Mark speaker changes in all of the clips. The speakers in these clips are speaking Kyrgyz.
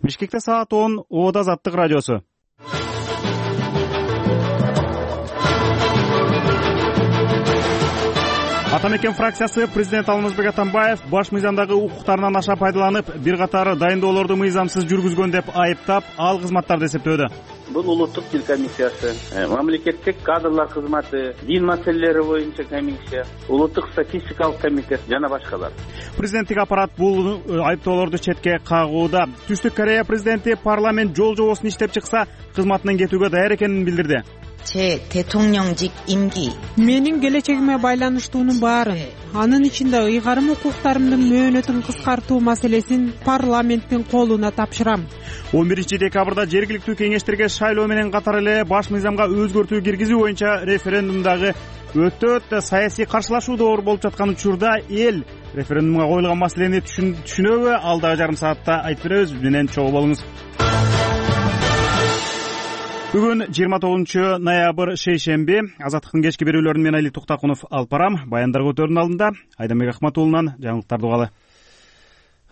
Speaker 1: Бишкекте саат 10, Оода Азаттык радиосу. Ата мекен фракциясы президент Алмазбек Атамбаев баш мыйзамдагы укуктарынан аша пайдаланып, бир катар дайындоолорду мыйзамсыз жүргүзгөн деп айыптап, ал кызматтарды эсептөөдө.
Speaker 2: Бул улуттук тил комиссиясы, мамлекеттик кадрлар кызматы, дин маселелери боюнча комиссия, улуттук статистикалык комитет жана башкалар.
Speaker 1: Президенттик аппарат бул айыптоолорду четке кагууда. Түштүк Корея президенти парламент жол жобосун иштеп чыкса, кызматынан кетүүгө даяр экенин билдирди.
Speaker 3: 제 대통령직 임기
Speaker 4: менин келечегиме байланыштуунун баарын, анын ичинде ыйгарым укуктарымдын мөөнөтүн кыскартуу маселесин парламенттин колуна тапшырам.
Speaker 1: 11-декабрда жергиликтүү кеңештерге шайлоо менен катар эле баш мыйзамга өзгөртүү киргизүү боюнча референдумдагы өтө саясий каршылашуу болуп жаткан учурда эл референдумга коюлган маселени түшүнөбү? Алдагы жарым саатта айтып беребиз. Биз менен чогуу болуңуз. Бүгүн 29 ноябрь шейшемби. Азаттыктын кечки берүүлөрүн мен Али Туктакунов алып барам. Баяндар көтөрүүнүн алдында Айдамбек Акматуулунан жаңылыктарды угалы.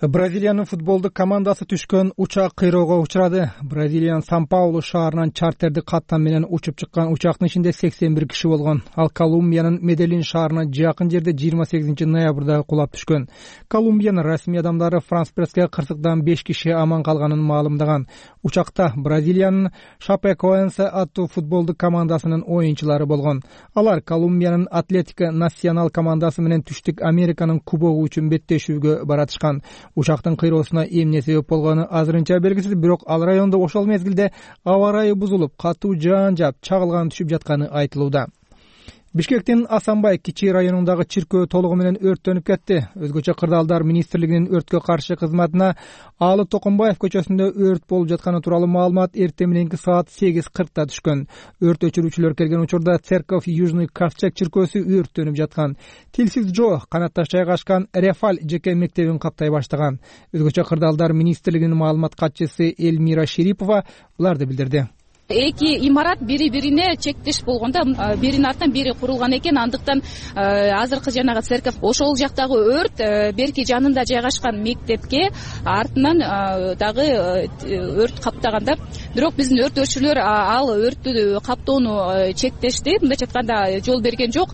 Speaker 5: Бразилиянын футболдук командасы түшкөн учак кыйроого учурады. Бразилиянын Сан-Паулу шаарынан чартердик каттам менен учуп чыккан учактын ичинде 81 киши болгон. Ал Колумбиянын Меделин шаарына жакын жерде 28 ноябрда кулап түшкөн. Колумбиянын расмий адамдары Франс Пресске кырсыктан 5 киши аман калганын маалымдаган. Учакта Бразилиянын Шапекоэнсе аттуу футболдук командасынын оюнчулары болгон. Алар Колумбиянын Атлетико Национал командасы менен Түштүк Американын кубогу үчүн беттешүүгө баратышкан. Учактын кыйроосуна эмне себеп болгону азырынча белгисиз, бирок ал райондо ошол мезгилде аба ырайы бузулуп, катуу жаан жаап, чагылган түшүп жатканы айтылууда. Бишкектин Асанбай кичи районундагы чиркөө толугу менен өрттөнүп кетти. Өзгөчө Кырдаалдар министрлигинин өрткө каршы кызматына Алы Токонбаев көчөсүндө өрт болуп жатканы тууралуу маалымат эртең мененки саат 8:40 түшкөн. Өрт өчүрүүчүлөр келген учурда Церковь Южный Ковчег чиркөөсү өрттөнүп жаткан. Тилсиз жоо канатташ жайгашкан Рефаль жеке мектебин каптай баштаган. Өзгөчө Кырдаалдар министрлигинин маалымат катчысы Эльмира Шерипова буларды билдирди.
Speaker 6: Эки имарат бири-бирине чектеш болгондо биринин артынан бири курулган экен. Андыктан азыркы жанагы церковь ошол жактагы өрт берки жанында жайгашкан мектепке артынан дагы өрт каптаганда, бирок биздин өрт өчүрүүчүлөр ал өрттү каптоону чектешти. Мындайча айтканда жол берген жок.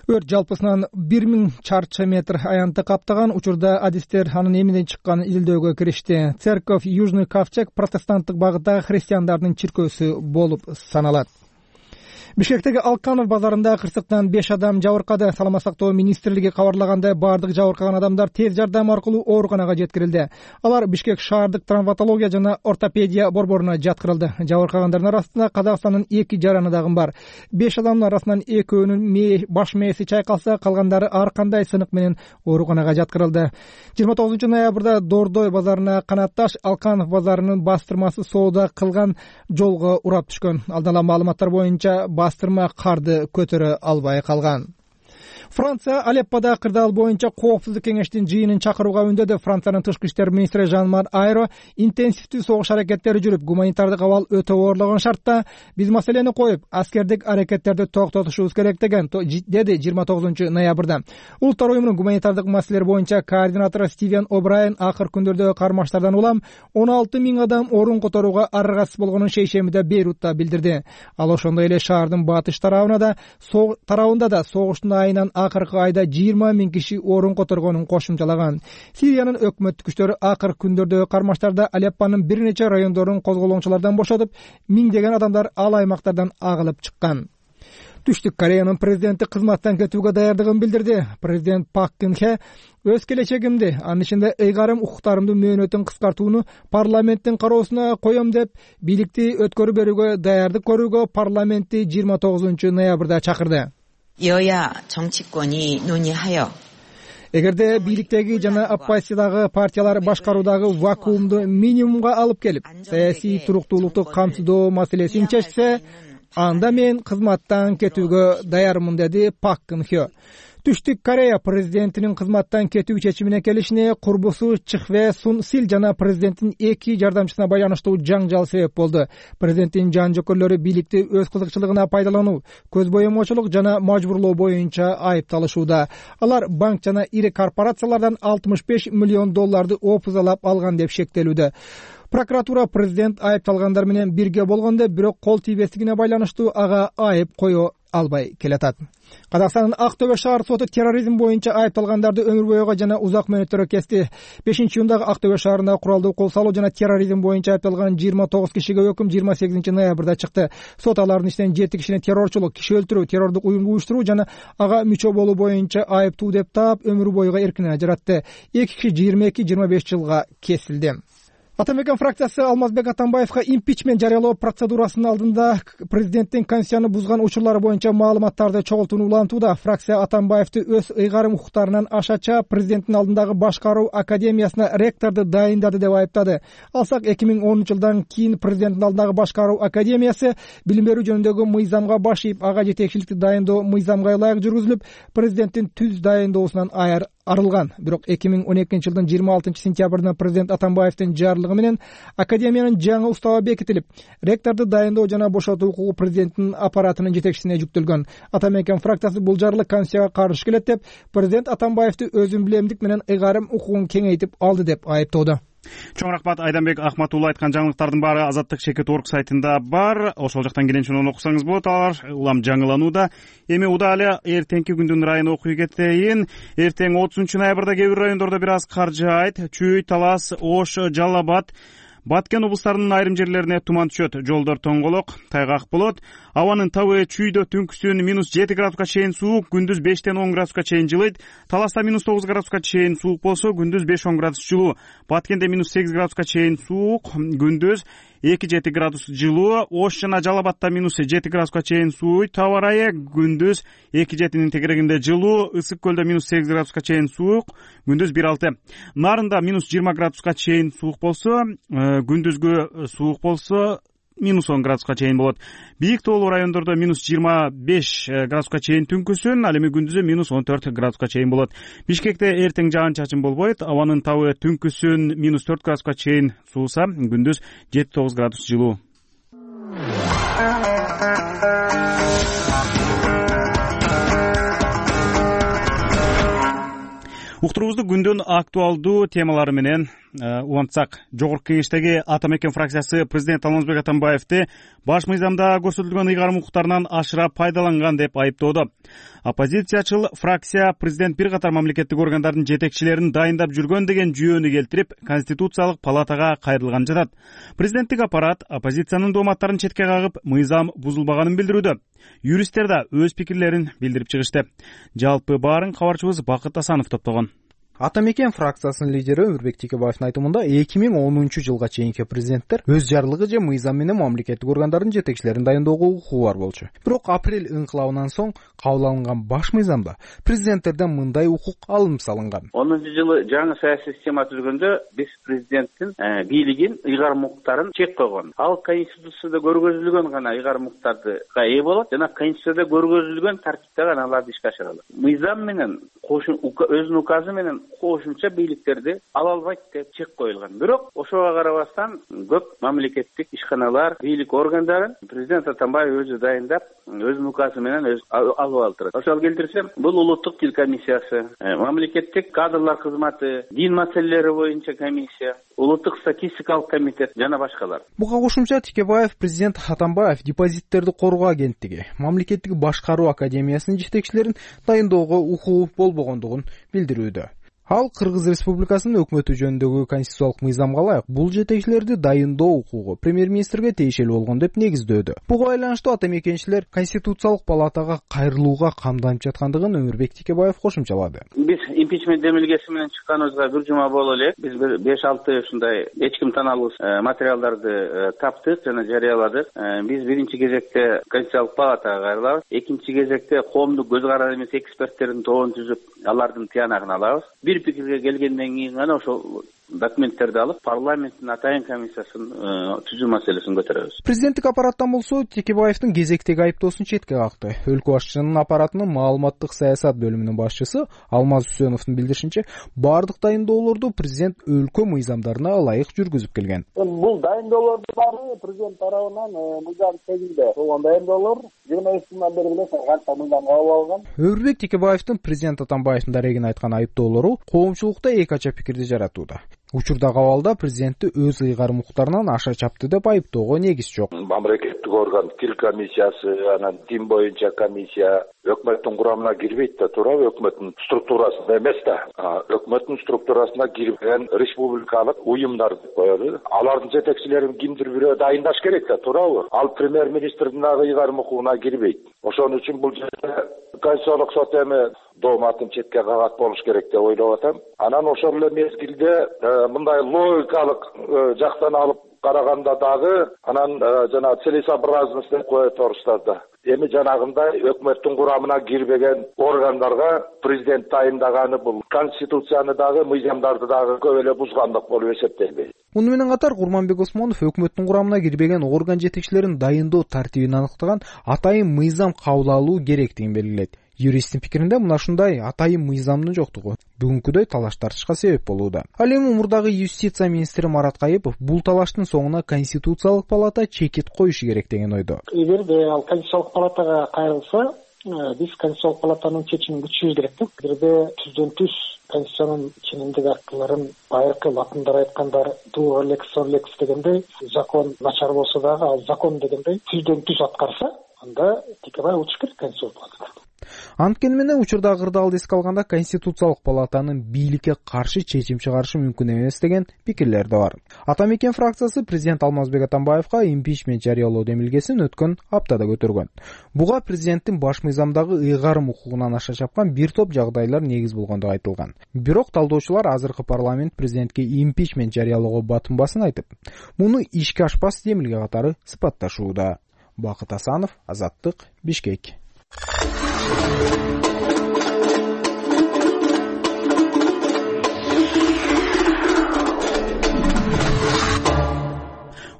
Speaker 6: Өрт жалпысынан 1000 чарчы метр аянтты каптаган. Учурда адистер анын эмнеден чыкканын изилдөөгө киришти. Церковь Южный Ковчег протестанттык багыттагы христиандардын чиркөөсү болуп саналат. Бишкектеги Алканов базарында кырсыктан 5 адам жабыркады. Саламат сактоо министрлиги кабарлагандай, бардык жабыркаган адамдар тез жардам аркылуу ооруканага жеткирилди. Алар Бишкек шаардык травматология жана ортопедия борборуна жаткырылды. Жабыркагандардын арасында Казакстандын 2 жараны дагы бар. 5 адамдын арасынан 2-өөнүн баш мээси чайкалса, калгандары ар кандай сынык менен ооруканага жаткырылды. 29 ноябрда Дордой базарына канатташ Алканов базарынын бастырмасы соода кылган жолго урап түшкөн. Алдын маалыматтар боюнча бастырма карды көтөрө албай калган. Франция Алеппода кырдаал боюнча коопсуздук кеңештин жыйынын чакырууга үндөдү. Франциянын тышкы иштер министри Жан-Марк Айро интенсивдүү согуш аракеттери жүрүп, гуманитардык абал өтө оорлогон шартта биз маселени коюп, аскердик аракеттерди токтотушубуз керек деген, деди 29 ноябрда. Улуттар уюмунун гуманитардык маселелер боюнча координатору Стивен О'Брайен акыр күндөрдөгү кармаштардан улам 16 000 адам орун которууга аргасыз болгонун шейшембиде Бейрутта билдирди. Ал ошондой эле шаардын батыш тарабында да согуштун айынан акыркы айда 20 000 киши орун которгонун кошумчалаган. Сириянын өкмөттүк күчтөрү акыркы күндөрдөгү кармаштарда Алеппонун бир нече райондорун козголоңчулардан бошотуп, миңдеген адамдар ал аймактардан агылып чыккан. Түштүк Кореянын президенти кызматтан кетүүгө даярдыгын билдирди. Президент Пак Кын Хе өз келечегимди, анын ичинде ыйгарым укуктарымдын мөөнөтүн кыскартууну парламенттин кароосуна коем деп, бийликти өткөрүп берүүгө даярдык көрүүгө парламентти 29 ноябрда чакырды.
Speaker 3: 여야 정치권이 논의하여
Speaker 5: Эгерде бийликтеги жана оппозициядагы партиялар башкаруудагы вакуумду минимумга алып келип, саясий туруктуулукту камсыздоо маселесин чечсе, анда мен кызматтан кетүүгө даярмын, деди Пак Кын Хе. Түштүк Корея президентинин кызматтан кетүү чечимине келишине курбусу Чхве Сун Сил жана президенттин 2 жардамчысына байланыштуу жаңжал себеп болду. Президенттин жан жокөрлөрү бийликти өз кызыкчылыгына пайдалануу, көз боемочулук жана мажбурлоо боюнча айыпталышууда. Алар банк жана ири корпорациялардан $65 миллион опузалап алган деп шектелүүдө. Прокуратура президент айыпталгандар менен бирге болгондо, бирок кол тийбестигине байланыштуу ага айып кое албай келатат. Казакстандын Актөбө шаар соту терроризм боюнча айыпталгандарды өмүр бойго жана узак мөөнөттөргө кести. 5-июндагы Актөбө шаарындагы куралдуу кол салуу жана терроризм боюнча айыпталган 29 кишиге өкүм 28 ноябрда чыкты. Сот алардын ичинен 7 кишини террорчулук, киши өлтүрүү, террордук уюмду уюштуруу жана ага мүчө болуу боюнча айыптуу деп таап, өмүр бойго эркинен ажыратты. 2 киши 22-25 жылга кесилди. Атамекен фракциясы Алмазбек Атамбаевга импичмент жарыялоо процедурасынын алдында президенттин конституцияны бузган учурлары боюнча маалыматтарды чогултууну улантууда. Фракция Атамбаевди өз ыйгарым укуктарынан ашача президенттин алдындагы башкаруу академиясына ректорду дайындады деп айыптады. Алсак 2010 жылдан кийин президенттин алдындагы башкаруу академиясы билим берүү жөнүндөгү мыйзамга баш ийип, ага жетекчиликти дайындоо мыйзамга ылайык жүргүзүлүп, президенттин түз дайындоосунан арылган. Бирок 2012 жылдын 26 сентябрында президент Атамбаевдин жарлыгы менен академиянын жаңы уставы бекитилип, ректорду дайындоо жана бошотуу укугу президенттин аппаратынын жетекчисине жүктөлгөн. Атамекен фракциясы бул жарлык конституцияга каршы келет деп, президент Атамбаевди өзүн билемдик менен ыйгарым укугун кеңейтип алды деп айыптоодо.
Speaker 1: Чоң рахмат Айданбек Ахматулла. Айткан жаңылыктардын баары Азаттык.org сайтында бар. Ошол жактан келенче окусаңыз болот. Алар улам жаңыланууда. Эми удале эртеңки күндүн ырайын окуй кетейин. Эртең 30 ноябрда кээ бир райондордо бир аз кар жаайт. Чүй, Талас, Ош, Жалал Абад, Баткен облустарынын айрым жерлерине туман түшөт. Жолдор тоңголок, тайгак болот. Абанын табы чүйдө түнкүсүн -7 градуска чейин суук, күндүз 5-10 градуска чейин жылыйт. Таласта -9 градуска чейин суук болсо, күндүз 5-10 градус жылуу. Баткенде -8 градуска чейин суук, күндүз 2-7 градус жылуу. Ош жана Жалал Абадта -7 градуска чейин сууйт. Таба ырайы күндүз 2-7 тегерегинде жылуу. Ысык көлдө -8 градуска чейин суук, күндүз 1-6. Нарында -20 градуска чейин суук болсо, күндүзгү суук болсо -10 градуска чейин болот. Бийик тоолуу райондордо -25 градуска чейин түнкүсүн, ал эми күндүзү -14 градуска чейин болот. Бишкекте эртең жаан-чачын болбойт. Абанын табы түнкүсүн -4 градуска чейин сууса, күндүз 7-9 градус жылуу. Уктуруубузду күндүн актуалдуу темалары менен улантсак, Жогорку Кеңештеги Атамекен фракциясы президент Алмазбек Атамбаевди баш мыйзамда көрсөтүлгөн ыйгарым укуктарынан ашыра пайдаланган деп айыптоодо. Оппозициячыл фракция президент бир катар мамлекеттик органдардын жетекчилерин дайындап жүргөн деген жүйөнү келтирип, Конституциялык палатага кайрылган жатат. Президенттик аппарат оппозициянын дооматтарын четке кагып, мыйзам бузулбаганын билдирүүдө. Юристтер да өз пикирлерин билдирип чыгышты. Жалпы баарын кабарчыбыз Бакыт Асанов топтогон.
Speaker 7: Атамекен фракциясынын лидери Өмүрбек Текебаевдин айтымында 2010 жылга чейинки президенттер өз жарлыгы же мыйзам менен мамлекеттик органдардын жетекчилерин дайындоого укугу бар болчу. Бирок апрель ыңкылабынан соң кабыл алынган баш мыйзамда президенттерден мындай укук алынып салынган.
Speaker 2: 10-жылы жаңы саясий система түзгөндө биз президенттин бийлигин, ыйгарым укуктарын чек койгон. Ал Конституцияда көргөзүлгөн гана ыйгарым укуктарга ээ болот жана Конституцияда көргөзүлгөн тартипте гана аларды ишке ашыра алат. Мыйзам менен өзүнүн указы менен кошумча бийликтерди ала албайт деп чек коюлган. Бирок ошого карабастан көп мамлекеттик ишканалар, бийлик органдарын президент Атамбаев өзү дайындап, өзүнүн указы менен алып алдырат. Ошол келтирсем, бул улуттук тил комиссиясы, мамлекеттик кадрлар кызматы, дин маселелери боюнча комиссия, улуттук статистикалык комитет жана башкалар.
Speaker 7: Буга кошумча Текебаев президент Атамбаев депозиттерди коргоо агенттиги, мамлекеттик башкаруу академиясынын жетекчилерин дайындоого укугу болбогондугун билдирүүдө. Ал Кыргыз Республикасынын өкмөтү жөнүндөгү конституциялык мыйзамга ылайык бул жетекчилерди дайындоо укугу премьер-министрге тиешелүү болгон деп негиздөөдө. Буга байланыштуу атамекенчилер конституциялык палатага кайрылууга камданып жаткандыгын Өмүрбек Текебаев кошумчалады.
Speaker 2: Биз импичмент демилгеси менен чыкканыбызга бир жума боло элек. Биз 5-6 ушундай эч ким таанылуусуз материалдарды таптык жана жарыяладык. Биз биринчи кезекте конституциялык палатага кайрылабыз. Экинчи кезекте коомдук көз карар эмес эксперттердин тобун түзүп, алардын тыянагын алабыз. Бир пикирге келгенден кийин гана ошол документтерди алып парламенттин атайын комиссиясын түзүү маселесин көтөрөбүз.
Speaker 7: Президенттик аппараттан болсо Текебаевдин кезектеги айыптоосун четке какты. Өлкө башчысынын аппаратынын маалыматтык саясат бөлүмүнүн башчысы Алмаз Үсөновдун билдиришинче, баардык дайындоолорду президент өлкө мыйзамдарына ылайык жүргүзүп келген.
Speaker 8: Бул дайындоолордун баары президент тарабынан мыйзам тегинде болгон дайындоолор 23-нан бери билесиз канча мыйзам кабыл алган.
Speaker 7: Өрбек Текебаевдин президент Атамбаевдин дарегине айткан айыптоолору коомчулукта эки ача пикирди жаратууда. Учурдагы абалда президентти өз ыйгарым укуктарынан аша чапты деп айыптоого негиз жок.
Speaker 9: Мамлекеттик орган тил комиссиясы, анан дин боюнча комиссия өкмөттүн курамына кирбейт да, туурабы? Өкмөттүн структурасында эмес да. Өкмөттүн структурасына кирбеген республикалык уюмдар деп коелу. Алардын жетекчилерин кимдир бирөө дайындаш керек да, туурабы? Ал премьер-министрдин ыйгарым укугуна кирбейт. Ошон үчүн бул жерде Конституциялык сот эми дооматын четке кагат болуш керек деп ойлоп атам. Анан ошол эле мезгилде мындай логикалык жактан алып караганда дагы анан жана целесообразность деп коет орустар да. Эми жанагындай өкмөттүн курамына кирбеген органдарга президент тайындаганы бул конституцияны дагы мыйзамдарды дагы көп эле бузгандык болуп эсептелбейт.
Speaker 7: Муну менен катар Курманбек Осмонов өкмөттүн курамына кирбеген орган жетекчилерин дайындоо тартибин аныктаган атайын мыйзам кабыл алуу керектигин белгилейт. Юристтин пикиринде мына ушундай атайын мыйзамдын жоктугу бүгүнкүдөй талаш тартышка себеп болууда. Ал эми мурдагы юстиция министри Марат Кайыпов бул талаштын соңуна Конституциялык палата чекит коюшу керек деген ойдо.
Speaker 8: Эгерде ал Конституциялык палатага кайрылса, биз Конституциялык палатанын чечимин күтүшүбүз керек да. Эгерде түздөн-түз Конституциянын ченемдик актыларын байыркы латындар айткандар дуо лекс сон лекс дегендей закон начар болсо дагы ал закон дегендей түздөн-түз аткарса, анда Текебаев утуш керек Конституциялык палатага.
Speaker 7: Анткени менен учурдагы кырдаалды эске алганда Конституциялык палатанын бийликке каршы чечим чыгарышы мүмкүн эмес деген пикирлер да бар. Ата Мекен фракциясы президент Алмазбек Атамбаевга импичмент жарыялоо демилгесин өткөн аптада көтөргөн. Буга президенттин баш мыйзамдагы ыйгарым укугунан аша чапкан бир топ жагдайлар негиз болгондугу айтылган. Бирок талдоочулар азыркы парламент президентке импичмент жарыялоого батынбасын айтып, муну ишке ашпас демилге катары сыпатташууда. Бакыт Асанов, Азаттык, Бишкек.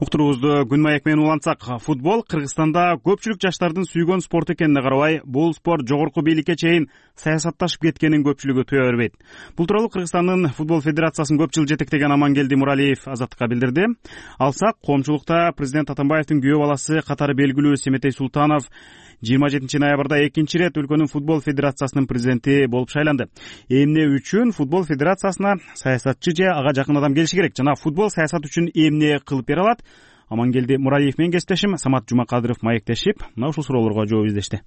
Speaker 1: Уктуруубузду күн маек менен улантсак, футбол Кыргызстанда көпчүлүк жаштардын сүйгөн спорт экенине карабай, бул спорт жогорку бийликке чейин саясатташып кеткенин көпчүлүгү туя бербейт. Бул тууралуу Кыргызстандын футбол федерациясын көп жыл жетектеген Амангелди Муралиев Азаттыкка билдирди. Алсак, коомчулукта президент Атамбаевдин күйөө баласы катары белгилүү Семетей Султанов 27 ноябрда экинчи ирет өлкөнүн футбол федерациясынын президенти болуп шайланды. Эмне үчүн футбол федерациясына саясатчы же ага жакын адам келиши керек жана футбол саясат үчүн эмне кылып бере алат? Амангелди Муралиев менен кесиптешим Самат Жумакадыров маектешип, мына ушул суроолорго жооп издешти.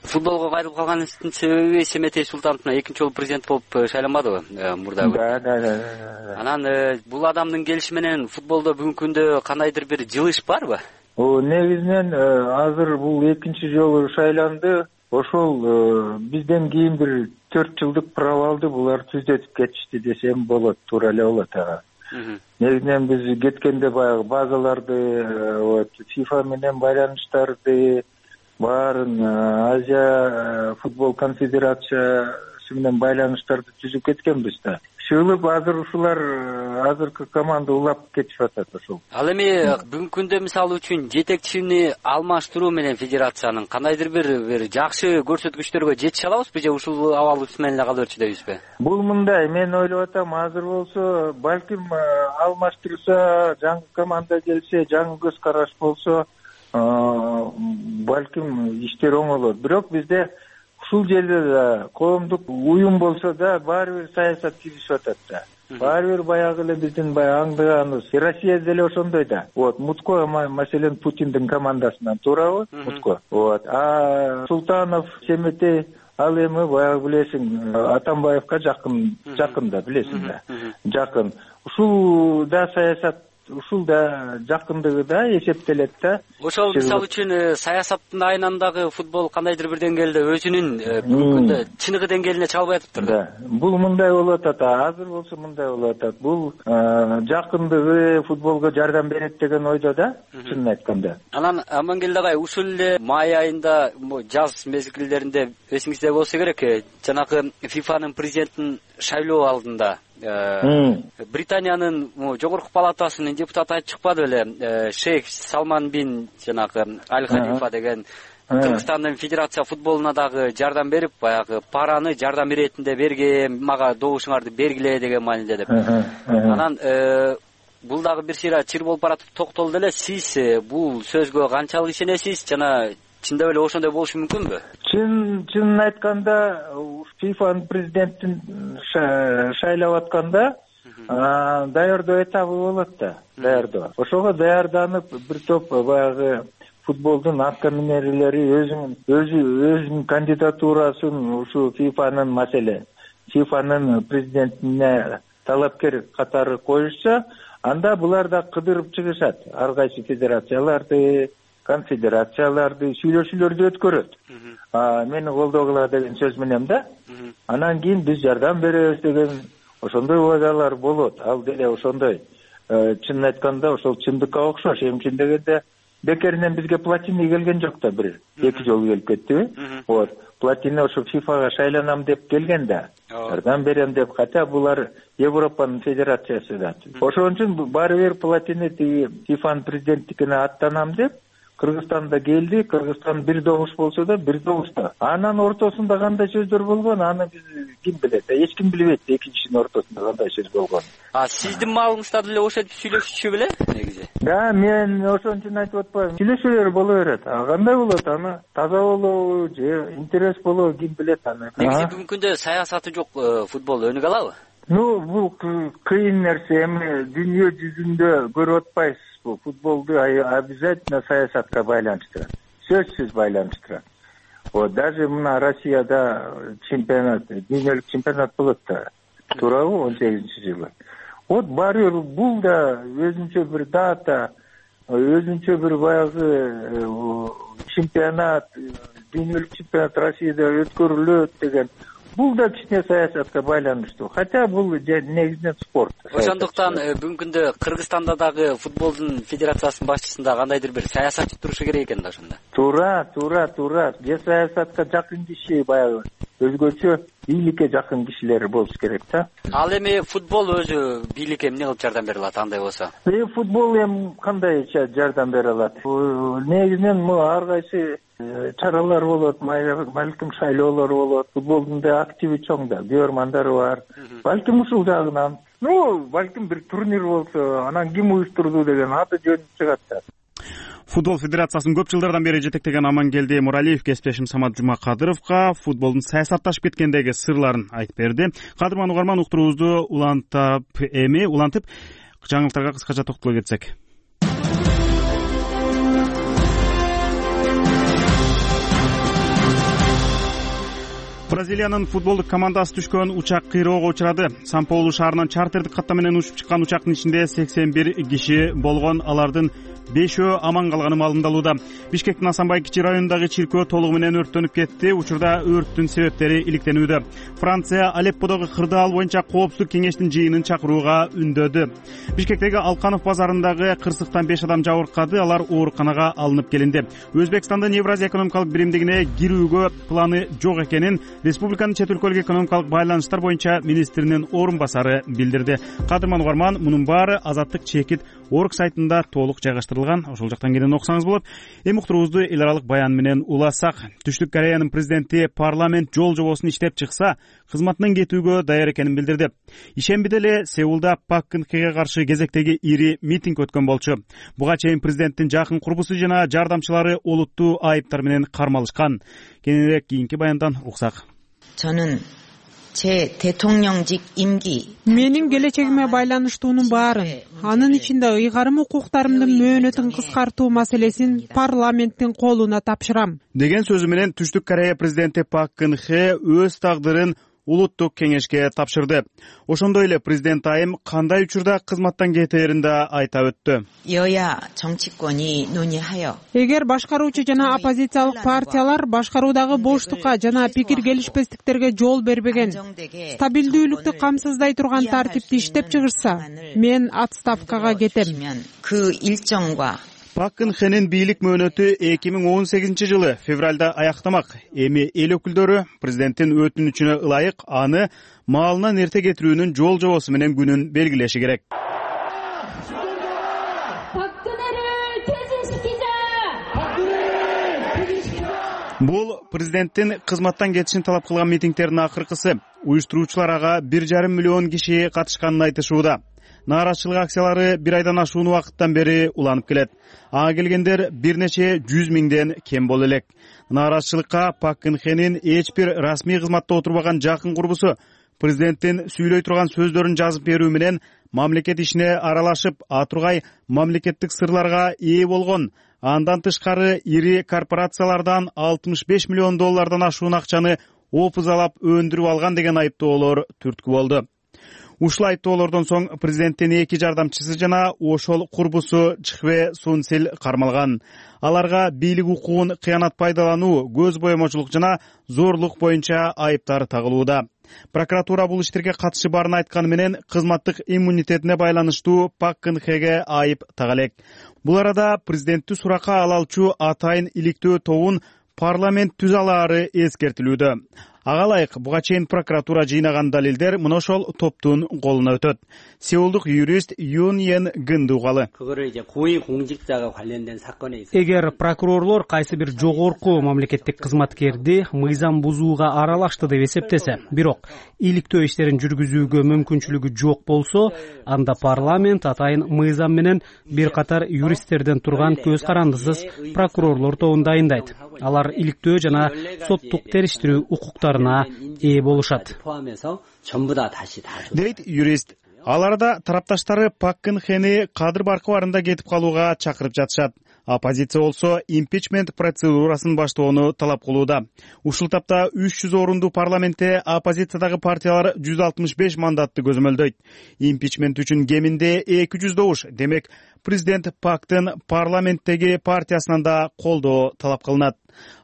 Speaker 10: Футболго кайрылып калганыбыздын себеби Семетей Султанов экинчи жолу президент болуп шайланбадыбы мурда?
Speaker 8: Да.
Speaker 10: Анан бул адамдын келиши менен футболдо бүгүнкү күндө кандайдыр бир жылыш барбы?
Speaker 11: Негизинен азыр бул экинчи жолу шайланды. Ошол бизден кийин бир 4 жылдык провалды булар түзөтүп кетишти десем болот, туура эле болот ага. Негизинен биз кеткенде баягы базаларды, FIFA менен байланыштарды баарын Азия футбол конфедерациясы менен байланыштарды түзүп кеткенбиз да. Шылып азыр ушулар азыркы команда улап кетип атат ошол.
Speaker 10: Ал эми бүгүнкү күндө мисалы үчүн жетекчини алмаштыруу менен федерациянын кандайдыр бир жакшы көрсөткүчтөргө жетише алабызбы же ушул абал менен эле кала берчү дейбизби?
Speaker 11: Бул мындай, мен ойлоп атам, азыр болсо балким алмаштырса, жаңы команда келсе, жаңы көз караш болсо, балким иштер оңолот. Бирок бизде ушул жерде да коомдук уюм болсо да баары бир саясат киришип атат да. Баары бир баягы эле биздин аңдыганыбыз. Россия деле ошондой да. Мутко маселен Путиндин командасынан, туурабы? Мутко. Султанов, Семетей, ал эми баягы билесиң, Атамбаевка жакын да, билесиң да. Жакын. Ушул да саясат, ушул да жакындыгы да эсептелет да.
Speaker 10: Ошол мисалы үчүн саясаттын айынан дагы футбол кандайдыр бир деңгээлде өзүнүн бүгүnkүндө чыныгы деңгээлине чыга албай атыптыр да.
Speaker 11: Бул мындай болуп атат, азыр болсо мындай болуп атат. Бул жакындыгы футболго жардам берет деген ойдо да, чынын айтканда.
Speaker 10: Анан Амангелди агай, ушул эле май айында жаз мезгилдеринде эсиңизде болсо керек, жанагы ФИФАнын президентин шайлоо алдында Британиянын жогорку палатасынын депутаты айтып чыкпады беле, шейх Салман бин жанагы Аль Халифа деген Кыргызстандын федерация футболуна дагы жардам берип, баягы параны жардам иретинде берген, мага добушуңарды бергиле деген мааниде деп. Анан бул дагы бир сыйра чыр болуп баратып токтолду эле. Сиз бул сөзгө канчалык ишенесиз жана чындап эле ошондой болушу мүмкүнбү?
Speaker 11: Чынын айтканда, ФИФАнын президентин шайлап атканда даярдоо этабы болот да, даярдоо. Ошого даярданып бир топ баягы футболдун атка минерлери өзүнүн кандидатурасын ушу ФИФАнын маселе, ФИФАнын президентине талапкер катары коюшса, анда булар да кыдырып чыгышат. Ар кайсы федерацияларды, конфедерацияларды сүйлөшүүлөрдү өткөрөт. Мени колдогула деген сөз менен да. Анан кийин биз жардам беребиз деген ошондой убадалар болот. Ал деле ошондой. Чынын айтканда ошол чындыкка окшош. Эмчин дегенде бекеринен бизге Платини келген жок да, бир 2 жолу келип кеттиби? Вот. Платини ошо ФИФАга шайланам деп келген да. Жардам берем деп, хотя булар Европанын федерациясы да. Ошон үчүн баары бир Платини ФИФАнын президенттикине аттанам деп Кыргызстанда келди. Кыргызстан бир добуш болсо да, бир добушта. Анан ортосунда кандай сөздөр болгон, аны биз ким билет? Эч ким билбейт экинчисинин ортосунда кандай сөз болгон.
Speaker 10: Сиздин маалыңызда деле ошентип сүйлөшчү беле негизи?
Speaker 11: Да, мен ошон үчүн айтып атпайм. Сүйлөшүүлөр боло берет. Кандай болот? Аны таза болобу же интерес болобу, ким билет аны.
Speaker 10: Негизи бүгүнкү күндө саясаты жок футбол өнүгө алабы?
Speaker 11: Бул кыйын нерсе. Эми дүйнө жүзүндө көрүп атпайсыз. Футболду обязательно саясатка байланыштырат. Сөзсүз байланыштырат. Даже мына Россияда чемпионат, дүйнөлүк чемпионат болот да. Туурабы 18-жылы. Баары бул да өзүнчө бир дата, өзүнчө бир баягы чемпионат, дүйнөлүк чемпионат Россияда өткөрүлөт деген. Бул да кичине саясатка байланыштуу. Хотя бул негизинен спорт.
Speaker 10: Ошондуктан бүгүнкү күндө Кыргызстанда дагы футболдун федерациясынын башчысында кандайдыр бир саясатчы турушу керек экен да ошондо. Туура.
Speaker 11: Же саясатка жакын киши, баягы өзгөчө бийликке жакын кишилер болуш керек да.
Speaker 10: Ал эми футбол өзү бийликке эмне кылып жардам бере алат андай болсо?
Speaker 11: Футбол эми кандайча жардам бере алат? Негизинен ар кайсы чаралар болот, балким шайлоолор болот. Футболдун да активи чоң да, көрөрмандары бар. Балким ушул жагынан, балким бир турнир болсо, анан ким уюштурду деген аты жөнү чыгат да.
Speaker 1: Футбол федерациясын көп жылдардан бери жетектеген Амангелди Муралиев кесиптешим Самат Жумакадыровго футболдун саясатташып кеткендеги сырларын айтып берди. Кадырман угарман, уктуруубузду улантып жаңылыктарга кыскача токтоло кетсек. Бразилиянын футболдук командасы түшкөн учак кыйроого учурады. Сан-Паулу шаарынан чартердик каттам менен учуп чыккан учактын ичинде 81 киши болгон. Алардын 5-өө аман калганы маалымдалууда. Бишкектин Асанбай кичи районундагы чиркөө толугу менен өрттөнүп кетти. Учурда өрттүн себептери иликтенүүдө. Франция Алепподогу кырдаал боюнча коопсуздук кеңештин жыйынын чакырууга үндөдү. Бишкектеги Алканов базарындагы кырсыктан 5 адам жабыркады. Алар ооруканага алынып келинди. Өзбекстандын Евразия экономикалык биримдигине кирүүгө планы жок экенин республиканын чет өлкөлүк экономикалык байланыштар боюнча министринин орун басары билдирди. Кадырман угарман, мунун баары Азаттык чекит Орг сайтында толук жайгаштырылган. Ошол жактан кенен окусаңыз болот. Эми уктуруубузду эл аралык баян менен улассак. Түштүк Кореянын президенти парламент жол жобосун иштеп чыкса, кызматынан кетүүгө даяр экенин билдирди. Ишембиде эле Сеулда Пак Кын Хеге каршы кезектеги ири митинг өткөн болчу. Буга чейин президенттин жакын курбусу жана жардамчылары олуттуу айыптар менен кармалышкан. Кененирээк кийинки баяндан уксак.
Speaker 3: 저는 제 대통령직 임기
Speaker 4: менин келечегиме байланыштуунун баарын, анын ичинде ыйгарым укуктарымдын мөөнөтүн кыскартуу маселесин парламенттин колуна тапшырам
Speaker 1: деген сөзү менен Түштүк Корея президенти Пак Кын Хе өз тагдырын улуттук кеңешке тапшырды. Ошондой эле президент айым кандай учурда кызматтан кетээрин да айта өттү.
Speaker 3: 여야 정치권이 논의하여
Speaker 4: эгер башкаруучу жана оппозициялык партиялар башкаруудагы боштукка жана пикир келишпестиктерге жол бербеген, стабилдүүлүктү камсыздай турган тартипти иштеп чыгышса, мен отставкага кетем.
Speaker 3: 그 일정과
Speaker 1: Пак Кын Хенин бийлик мөөнөтү 2018 жылы февралда аяктамак. Эми эл өкүлдөрү президенттин өтүнүчүнө ылайык аны маалынан эрте кетирүүнүн жол жобосу менен күнүн белгилеши керек. Бул президенттин кызматтан кетишин талап кылган митингдердин акыркысы. Уюштуруучулар ага 1,5 миллион киши катышканын айтышууда. Нааразычылык акциялары бир айдан ашуун убакыттан бери уланып келет. Ага келгендер бир нече 100 миңден кем боло элек. Нааразычылыкка Пак Кын Хенин эч бир расмий кызматта отурбаган жакын курбусу президенттин сүйлөй турган сөздөрүн жазып берүү менен мамлекет ишине аралашып, атургай мамлекеттик сырларга ээ болгон. Андан тышкары ири корпорациялардан 65 миллион доллардан ашуун акчаны опузалап өндүрүп алган деген айыптоолор түрткү болду. Ушул айыптоолордон соң президенттин 2 жардамчысы жана ошол курбусу Чхве Сунсил кармалган. Аларга бийлик укугун кыянат пайдалануу, көз боемочулук жана зорлук боюнча айыптар тагылууда. Прокуратура бул иштерге катышы барын айтканы менен кызматтык иммунитетине байланыштуу Пак Кын Хеге айып тага элек. Бул арада президентти суракка ала алчу атайын иликтөө тобун парламент түзө алаары эскертилүүдө. Ага ылайык буга чейин прокуратура жыйнаган далилдер мына ошол топтун колуна өтөт. Сеулдук юрист Юн Йен Гынды угалы.
Speaker 12: Эгер прокурорлор кайсы бир жогорку мамлекеттик кызматкерди мыйзам бузууга аралашты деп эсептесе, бирок иликтөө иштерин жүргүзүүгө мүмкүнчүлүгү жок болсо, анда парламент атайын мыйзам менен бир катар юристтерден турган көз карандысыз прокурорлор тобун дайындайт. Алар иликтөө жана соттук териштирүү укуктарына ээ болушат.
Speaker 1: Дейт юрист. Аларда тарапташтары Пак Кын Хени кадыр баркы барында кетип калууга чакырып жатышат. Оппозиция болсо импичмент процедурасын баштоону талап кылууда. Ушул тапта 300 орунду парламентте оппозициядагы партиялар 165 мандатты көзөмөлдөйт. Импичмент үчүн кеминде 200 добуш. Демек, президент Пактын парламенттеги партиясынан да колдоо талап кылынат.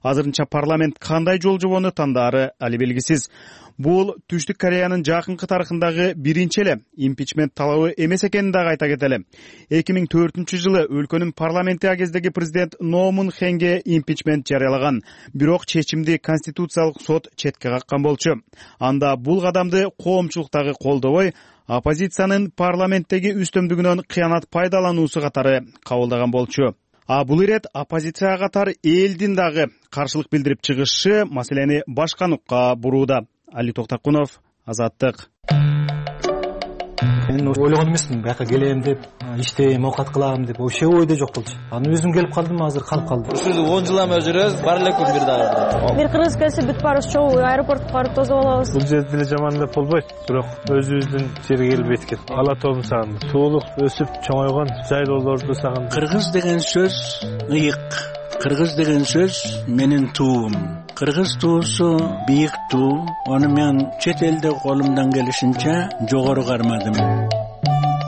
Speaker 1: Азырынча парламент кандай жол жобону тандаары али белгисиз. Бул Түштүк Кореянын жакынкы тарыхындагы биринчи эле импичмент талабы эмес экенин дагы айта кетели. 2004 жылы өлкөнүн парламенти агездеги президент Но Мун Хенге импичмент жарыялаган. Бирок чечимди Конституциялык сот четке каккан болчу. Анда бул кадамды коомчулуктагы колдобой, оппозициянын парламенттеги үстөмдүгүнөн кыянат пайдалануусу катары кабылдаган болчу. Бул ирет оппозиция катар элдин дагы каршылык билдирип чыгышы маселени башка нукка бурууда. Али Токтакунов, Азаттык.
Speaker 13: Мен ойлогон эмесмин, бияка келем деп, иштейм, оокат кылам деп, вообще ойдо жок болчу. Аны өзүм келип калдым, азыр калып калдым.
Speaker 14: Ушул 10 жылдан жүрөбүз, бар элекпи бир дагы.
Speaker 15: Бир кыргыз келсе бүт барыбыз чогуу аэропортко барып тосуп алабыз.
Speaker 16: Бул жерде деле жаман деп болбойт, бирок өзүбүздүн жерге келбейт экен. Ала тобун сагындым. Суулук өсүп чоңойгон жайлоолорду сагындым.
Speaker 17: Кыргыз деген сөз ыйык. Кыргыз деген сөз менин туум. Кыргыз туусу бийик туу. Аны мен чет элде колумдан келишинче жогору кармадым.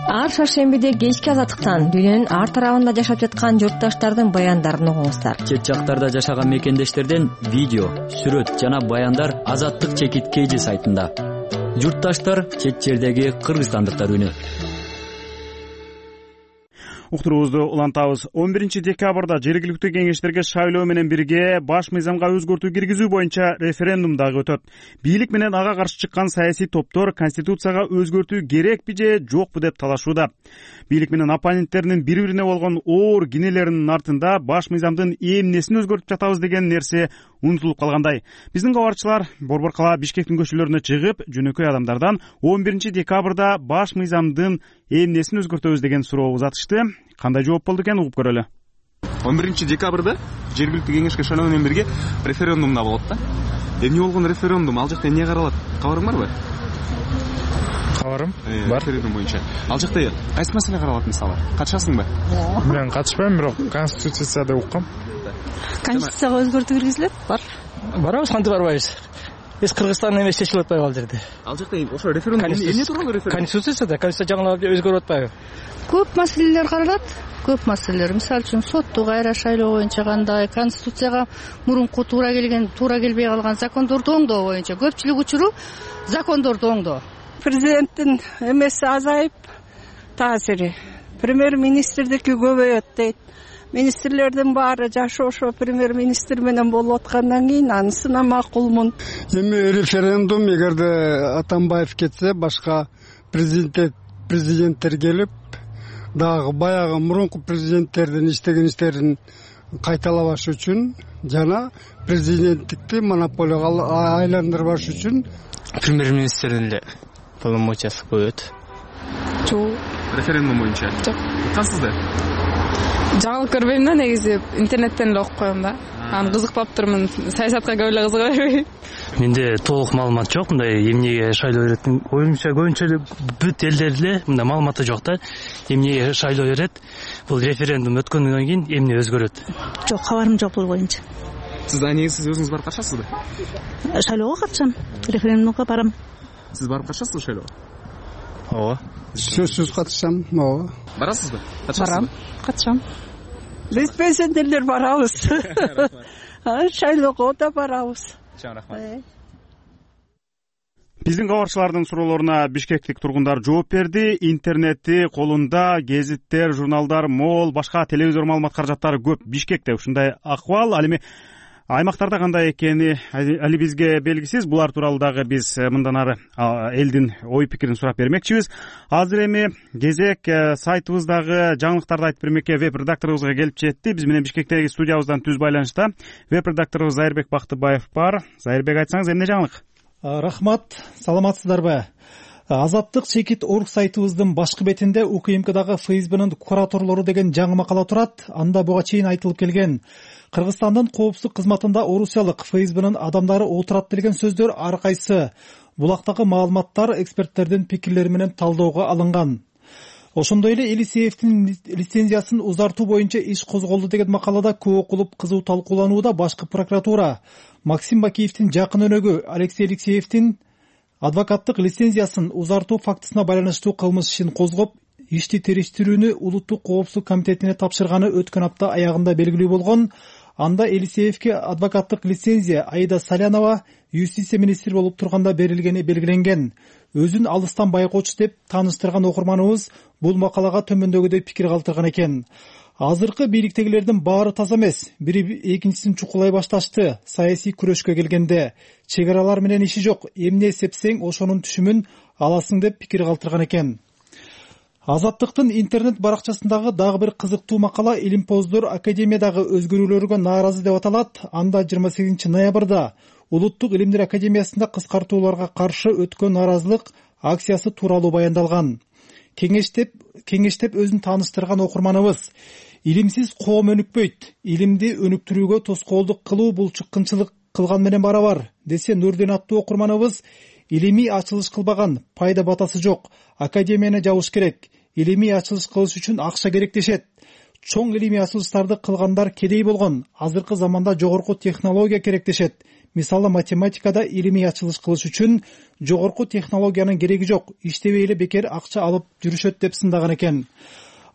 Speaker 15: Ар шаршембиде кечки азаттыктан дүйнөнүн ар тарабында жашап жаткан журтташтардын баяндарын угуңуздар.
Speaker 18: Чет жактарда жашаган мекендештерден видео, сүрөт жана баяндар Азаттык чекит KG сайтында. Журтташтар чет жердеги кыргызстандыктар үнү.
Speaker 1: Уктуруубузду улантабыз. 11 декабрда жергиликтүү кеңештерге шайлоо менен бирге баш мыйзамга өзгөртүү киргизүү боюнча референдум дагы өтөт. Бийлик менен ага каршы чыккан саясий топтор конституцияга өзгөртүү керекпи же жокпу деп талашууда. Бийлик менен оппоненттеринин бири-бирине болгон оор кинелеринин артында баш мыйзамдын эмнесин өзгөртүп жатабыз деген нерсе унутулуп калгандай. Биздин кабарчылар Борбор кала Бишкектин көчөлөрүнө чыгып, жөнөкөй адамдардан 11 декабрда баш мыйзамдын эмнесин өзгөртөбүз деген суроо узатышты. Кандай жооп болду экен угуп көрөлү.
Speaker 19: 11 декабрда жергиликтүү кеңешке шайлоо менен бирге референдум да болот да. Эмне болгон референдум? Ал жакта эмне каралат? Кабарың барбы?
Speaker 16: Кабарым бар.
Speaker 19: Референдум боюнча. Ал жакта кайсы маселе каралат мисалы? Катышасыңбы?
Speaker 16: Мен катышпайм, бирок конституцияда уккам.
Speaker 20: Конституцияга өзгөртүү киргизилет? Бар.
Speaker 13: Барабыз, кантип барбайбыз? Биз Кыргызстан эмес чечилип атпайбы ал жерде?
Speaker 19: Ал жакта ошо референдум эмне тууралуу референдум?
Speaker 13: Конституция жаңылап өзгөрүп атпайбы?
Speaker 20: Көп маселелер каралат. Көп маселелер. Мисалы үчүн сотту кайра шайлоо боюнча кандай, конституцияга мурунку туура келбей калган закондорду оңдоо боюнча көпчүлүк учуру закондорду оңдоо.
Speaker 21: Президенттин эмеси азайып, таасири премьер министрдики көбөйөт дейт. Министрлердин баары жашы ошо премьер министр менен болуп аткандан кийин анысына макулмун.
Speaker 22: Эми референдум эгерде Атамбаев кетсе, башка президенттер келип, дагы баягы мурунку президенттердин иштеген иштерин кайталабаш үчүн жана президенттикти монополияга айландырбаш үчүн
Speaker 23: премьер министрдин эле полномочиясы көбөйөт.
Speaker 24: Жок.
Speaker 19: Референдум боюнча.
Speaker 24: Жок.
Speaker 19: Уккансыз да?
Speaker 24: Жаңылык көрбөйм да, негизи интернеттен эле окуп коем да. Аны кызыкпап турмун. Саясатка көп эле кызыга бербейм.
Speaker 23: Менде толук маалымат жок, мындай эмнеге шайлоо берет. Оюмча көбүнчө бүт элдерде мындай маалыматы жок да. Эмнеге шайлоо берет? Бул референдум өткөндөн кийин эмне өзгөрөт?
Speaker 24: Жок, кабарым жок бул боюнча.
Speaker 19: Сиз негизи өзүңүз барып катышасызбы?
Speaker 24: Шайлоого катышам, референдумга барам.
Speaker 19: Сиз барып катышасызбы шайлоого?
Speaker 23: Ооба.
Speaker 22: Сөзсүз катышам. Ооба.
Speaker 19: Барасызбы?
Speaker 24: Барам, катышам.
Speaker 21: Биз пенсионерлер барабыз. Шайлоого да барабыз.
Speaker 19: Чоң рахмат.
Speaker 1: Биздин кабарчылардын суроолоруна бишкектик тургундар жооп берди. Интернетти колунда, гезиттер, журналдар мол, башка телевизор маалымат каражаттары көп. Бишкекте ушундай акыбал. Ал эми аймактарда кандай экени али бизге белгисиз. Булар тууралуу дагы биз мындан ары элдин ой пикирин сурап бермекчибиз. Азыр эми кезек сайтыбыздагы жаңылыктарды айтып бермекке веб-редакторубузга келип жетти. Биз менен Бишкектеги студиябыздан түз байланышта веб-редакторубуз Зайырбек Бактыбаев бар. Зайырбек, айтсаңыз эмне жаңылык?
Speaker 5: Рахмат, саламатсыздарбы? Азаттык чекит орг сайтыбыздын башкы бетинде УКМКдагы ФСБнын кураторлору деген жаңы макала турат. Анда буга чейин айтылып келген Кыргызстандын коопсуздук кызматында орусиялык ФСБнын адамдары отурат деген сөздөр ар кайсы булактагы маалыматтар эксперттердин пикирлери менен талоого алынган. Ошондой эле Элисеевдин лицензиясын узартуу боюнча иш козголду деген макалада көп окулуп кызуу талкууланууда башкы прокуратура Максим Бакиевдин жакын өнөгү Алексей Алексеевдин адвокаттык лицензиясын узартуу фактысына байланыштуу кылмыш ишин козгоп, ишти териштирүүнү Улуттук коопсуздук комитетине тапшырганы өткөн апта аягында белгилүү болгон. Анда Элисеевге адвокаттык лицензия Аида Салянова юстиция министри болуп турганда берилгени белгиленген. Өзүн алыстан байкоочу деп тааныштырган окурманыбыз бул макалага төмөндөгүдөй пикир калтырган экен. Азыркы бийликтегилердин баары таза эмес, бири экинчисин чукулай башташты. Саясий күрөшкө келгенде чек аралар менен иши жок, эмне эсепсең ошонун түшүмүн аласың деп пикир калтырган экен. Азаттыктын интернет баракчасындагы дагы бир кызыктуу макала Илимпоздор академиядагы өзгөрүүлөргө нааразы деп аталат. Анда 28 ноябрда Улуттук илимдер академиясында кыскартууларга каршы өткөн нааразылык акциясы тууралуу баяндалган. Кеңештеп өзүн тааныштырган окурманыбыз илимсиз коом өнүкпөйт, илимди өнүктүрүүгө тоскоолдук кылуу бул чыккынчылык кылган менен барабар десе, Нурдин аттуу окурманыбыз илимий ачылыш кылбаган, пайда батасы жок, академияны жабыш керек, илимий ачылыш кылыш үчүн акча керек дешет. Чоң илимий ачылыштарды кылгандар кедей болгон, азыркы заманда жогорку технология керек дешет. Мисалы математикада илимий ачылыш кылыш үчүн жогорку технологиянын кереги жок, иштебей эле бекер акча алып жүрүшөт деп сындаган экен.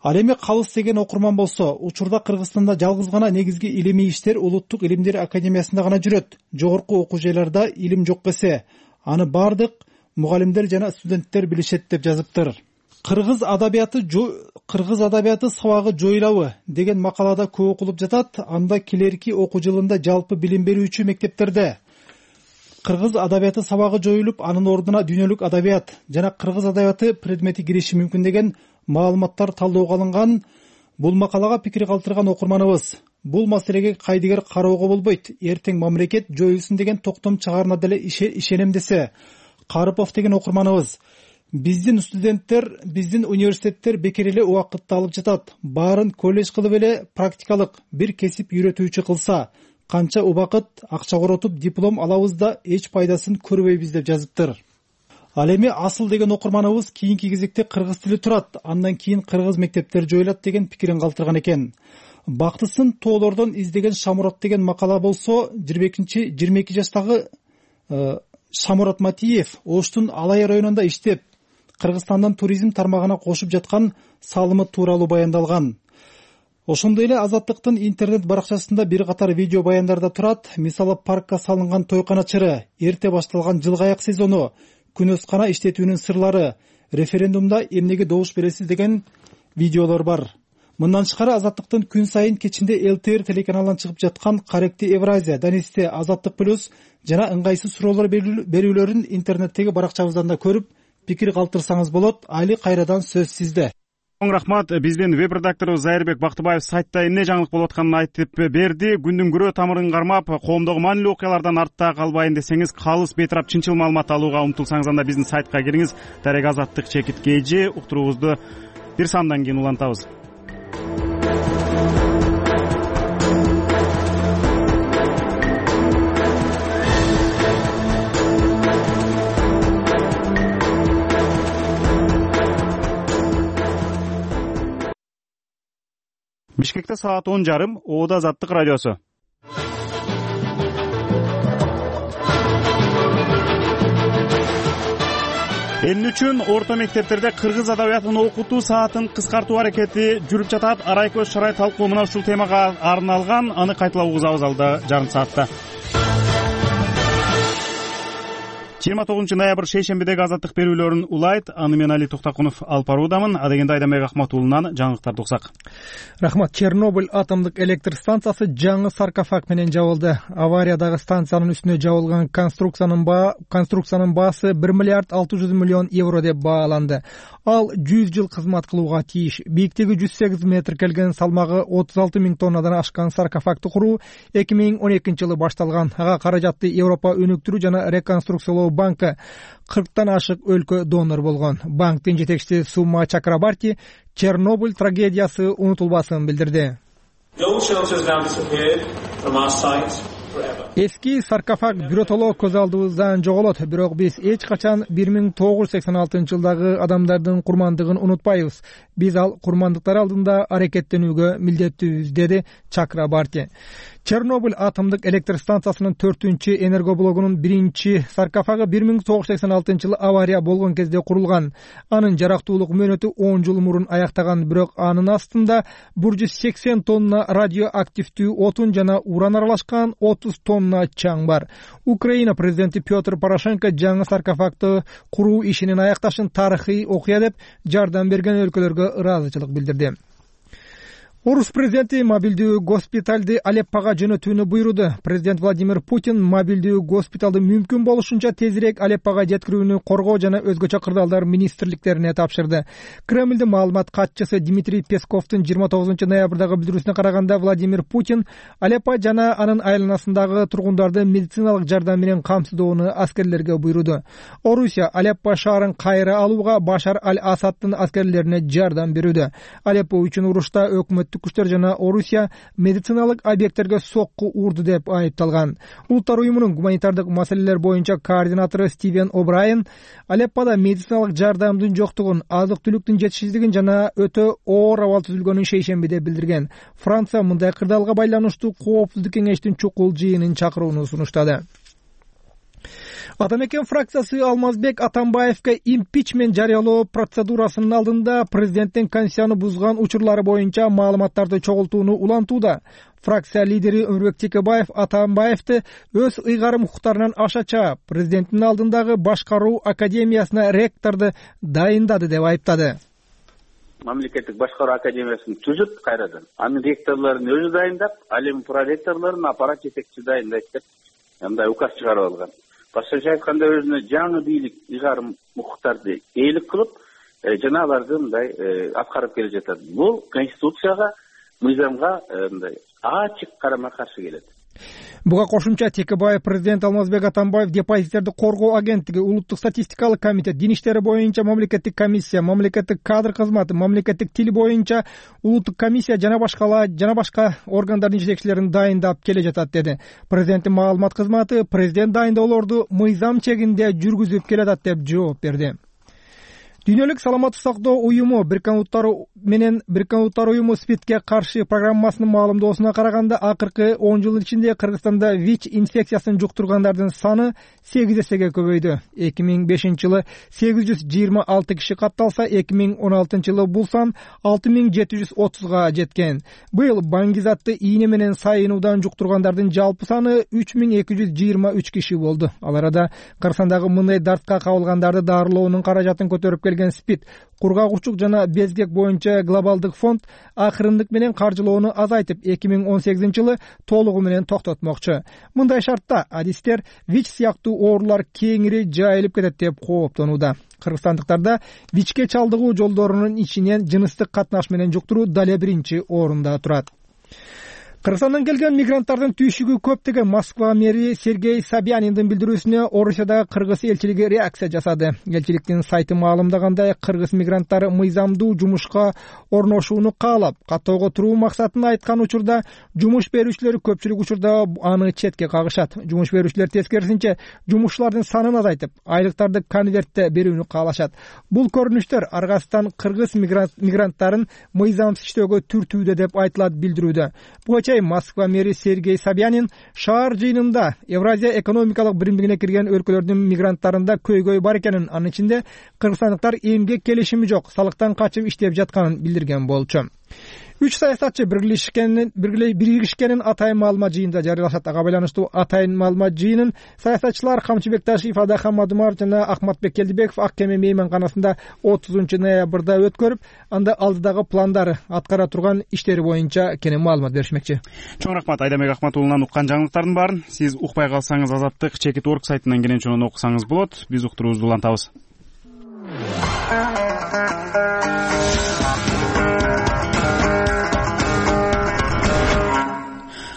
Speaker 5: Ал эми калыс деген окурман болсо, учурда Кыргызстанда жалгыз гана негизги илимий иштер Улуттук илимдер академиясында гана жүрөт. Жогорку окуу жайларда илим жок эсе, аны бардык мугалимдер жана студенттер билишет деп жазыптыр. Кыргыз адабияты сабагы жоюлабы деген макалада көп окулуп жатат. Анда келерки окуу жылында жалпы билим берүүчү мектептерде кыргыз адабияты сабагы жоюлуп, анын ордуна дүйнөлүк адабият жана кыргыз адабияты предмети кириши мүмкүн деген маалыматтар талоого алынган. Бул макалага пикир калтырган окурманыбыз бул маселеге кайдыгер кароого болбойт, эртең мамлекет жоюлсун деген токтом чыгарына деле ишенем десе. Карыпов деген окурманыбыз биздин студенттер, биздин университеттер бекер эле убакытты алып жатат. Баарын колледж кылып эле практикалык бир кесип үйрөтүүчү кылса, канча убакыт акча коротуп диплом алабыз да эч пайдасын көрбөйбүз деп жазыптыр. Ал эми Асыл деген окурманыбыз кийинки кезекте кыргыз тили турат, андан кийин кыргыз мектептер жоюлат деген пикирин калтырган экен. Бактысын тоолордон издеген Шамурат деген макала болсо, 22 жаштагы Шамурат Матиев Оштун Алай районунда иштеп, Кыргызстандын туризм тармагына кошуп жаткан салымы тууралуу баяндалган. Ошондой эле Азаттыктын интернет баракчасында бир катар видео баяндарда турат. Мисалы, паркка салынган тойкана чыры, эрте башталган жылгаяк сезону, күнөскана иштетүүнүн сырлары, референдумда эмнеге добуш бересиз деген видеолор бар. Мындан тышкары Азаттыктын күн сайын кечинде ЛТР телеканалынан чыгып жаткан Каректи Евразия, Данисте Азаттык плюс жана ыңгайсыз суроолор берүүлөрүн интернеттеги баракчабыздан да көрүп, пикир калтырсаңыз болот. Али, кайрадан сөз сизде.
Speaker 1: Чоң рахмат. Биздин веб редактору Зайырбек Бактыбаев сайтта эмне жаңылык болуп атканын айтып берди. Күндүн күрөө тамырын кармап, коомдогу маанилүү окуялардан артта калбайын десеңиз, калыс бейтарап чынчыл маалымат алууга умтулсаңыз, анда биздин сайтка кириңиз. Дарек Азаттык _KG уктуруубузду бир самдан кийин улантабыз. Бишкекте саат 10:30, Оода Азаттык радиосу. Эл үчүн орто мектептерде кыргыз адабиятын окутуу саатын кыскартуу аракети жүрүп жатат. Арайкөз Шарай талкуу мына ушул темага арналган. Аны кайталап угузабыз алда жарым саатта. 29 ноябрь шейшембидеги Азаттык берүүлөрүн улайт. Аны мен Али Токтакунов алып баруудамын. Адегенде Айданбек Акматуулунан жаңылыктарды уксак.
Speaker 5: Рахмат. Чернобыль атомдук электр станциясы жаңы саркофаг менен жабылды. Авариядагы станциянын үстүнө жабылган конструкциянын баасы 1 миллиард 600 миллион евро деп бааланды. Ал 100 жыл кызмат кылууга тийиш. Бийиктиги 108 метр келген, салмагы 36 000 тоннадан ашкан саркофагды куруу 2012-жылы башталган. Ага каражатты Европа өнүктүрүү жана реконструкциялоо банкы 40тан ашык өлкө донор болгон. Банктын жетекчиси Сума Чакрабарти Чернобыль трагедиясы унутулбасын билдирди. Эски саркофаг биротоло көз алдыбыздан жоголот, бирок биз эч качан 1986-жылдагы адамдардын курмандыгын унутпайбыз. Биз ал курмандыктар алдында аракеттенүүгө милдеттүүбүз, деди Чакрабарти. Чернобыль атомдук электр станциясынын 4-чү энергоблогунун 1-чи саркофагы 1986-жылы авария болгон кезде курулган. Анын жарактуулук мөөнөтү 10 жыл мурун аяктаган, бирок анын астында 180 тонна радиоактивдүү отун жана уран аралашкан 30 тонна чаң бар. Украина президенти Петр Порошенко жаңы саркофагды куруу ишинин аякташын тарыхый окуя деп жардам берген өлкөлөргө ыраазычылык билдирди. Орус президенти мобилдүү госпиталды Алеппага жөнөтүүнү буйруду. Президент Владимир Путин мобилдүү госпиталды мүмкүн болушунча тезирээк Алеппага жеткирүүнү коргоо жана өзгөчө кырдаалдар министрликтерине тапшырды. Кремлдин маалымат катчысы Дмитрий Песковдун 29 ноябрдагы билдирүүсүнө караганда, Владимир Путин Алеппа жана анын айланасындагы тургундарды медициналык жардам менен камсыздоону аскерлерге буйруду. Орусия Алеппа шаарын кайра алууга Башар аль-Асаддын аскерлерине жардам берүүдө. Алеппо үчүн урушта өкмөт күчтөр жана Орусия медициналык объекттерге сокку урду деп айыпталган. Улуттар уюмунун гуманитардык маселелер боюнча координатору Стивен О'Брайен Алеппада медициналык жардамдын жоктугун, азык-түлүктүн жетишсиздигин жана өтө оор абал түзүлгөнүн шейшембиде билдирген. Франция мындай кырдаалга байланыштуу коопсуздук кеңештин чукул жыйынын чакырууну сунуштады. Атамекен фракциясы Алмазбек Атамбаевге импичмент жарыялоо процедурасынын алдында президенттин конституцияны бузган учурлары боюнча маалыматтарды чогултууну улантууда. Фракция лидери Өмүрбек Текебаев Атамбаевди өз ыйгарым укуктарынан аша чаап, президенттин алдындагы башкаруу академиясына ректорду дайындады деп айыптады.
Speaker 2: Мамлекеттик башкаруу академиясын түзүп кайрадан, анын ректорлорун өзү дайындап, ал эми проректорлорун аппарат жетекчиси дайындайт деп мындай указ чыгарып алган. Башкача айтканда, өзүнө жаңы бийлик ыйгарым укуктарды ээлик кылып, жана аларды мындай аткарып келе жатат. Бул конституцияга, мыйзамга мындай ачык карама-каршы келет.
Speaker 5: Буга кошумча Текебаев президент Алмазбек Атамбаев депозиттерди коргоо агенттиги, улуттук статистикалык комитет, дин иштери боюнча мамлекеттик комиссия, мамлекеттик кадр кызматы, мамлекеттик тил боюнча улуттук комиссия жана башка органдардын жетекчилерин дайындап келе жатат, деди. Президенттин маалымат кызматы президент дайындоолорду мыйзам чегинде жүргүзүп келатат деп жооп берди. Дүйнөлүк саламаттык сактоо уюму Бириккен Улуттар уюму СПИДке каршы программасынын маалымдоосуна караганда, акыркы 10 жыл ичинде Кыргызстанда ВИЧ инфекциясын жуктургандардын саны 8 эсеге көбөйдү. 2005-жылы 826 киши катталса, 2016-жылы бул сан 6730га жеткен. Быйыл баңгизатты ийне менен сайынуудан жуктургандардын жалпы саны 3223 киши болду. Ал арада Кыргызстандагы мындай дартка кабылгандарды дарылоонун каражатын көтөрүп келген СПИД, кургагучулук жана безгек боюнча глобалдык фонд акырындык менен каржылоону азайтып 2018-жылы толугу менен токтотмокчу. Мындай шартта адистер ВИЧ сыяктуу оорулар кеңири жайылып кетет деп кооптонууда. Кыргызстандыктарда ВИЧке чалдыгуу жолдорунун ичинен жыныстык катнаш менен жуктуруу дале биринчи орунда турат. Кыргызстандан келген мигранттардын түйшүгү көп деген Москва мэри Сергей Собяниндин билдирүүсүнө Орусиядагы кыргыз элчилиги реакция жасады. Элчиликтин сайты маалымдагандай, кыргыз мигранттары мыйзамдуу жумушка орношууну каалап, каттоого туруу максатын айткан учурда жумуш берүүчүлөр көпчүлүк учурда аны четке кагышат. Жумуш берүүчүлөр тескерисинче жумушчулардын санын азайтып, айлыктарды конвертте берүүнү каалашат. Бул көрүнүштөр Аргастан кыргыз мигранттарын мыйзамсыз иштөөгө түртүүдө деп айтылат билдирүүдө. Москва мэри Сергей Собянин шаар жыйынында Евразия экономикалык биримдигине кирген өлкөлөрдүн мигранттарында көйгөй бар экенин, анын ичинде кыргызстандыктар эмгек келишими жок, салыктан качып иштеп жатканын билдирген болчу. 3 саясатчы биригишкенин атайын маалымат жыйынында жарыялашат. Ага байланыштуу атайын маалымат жыйынын саясатчылар Камчыбек Ташиев, Ада Хамадумаров жана Акматбек Келдибеков Ак Кеме мейманканасында 30 ноябрда өткөрүп, анда алдыдагы пландары, аткара турган иштери боюнча кенен маалымат беришмекчи.
Speaker 1: Чоң рахмат Айдамек Акматуулунан уккан жаңылыктардын баарын сиз укпай калсаңыз Азаттык Чекит.org сайтынан кенен чоң окусаңыз болот. Биз уктуруубузду улантабыз.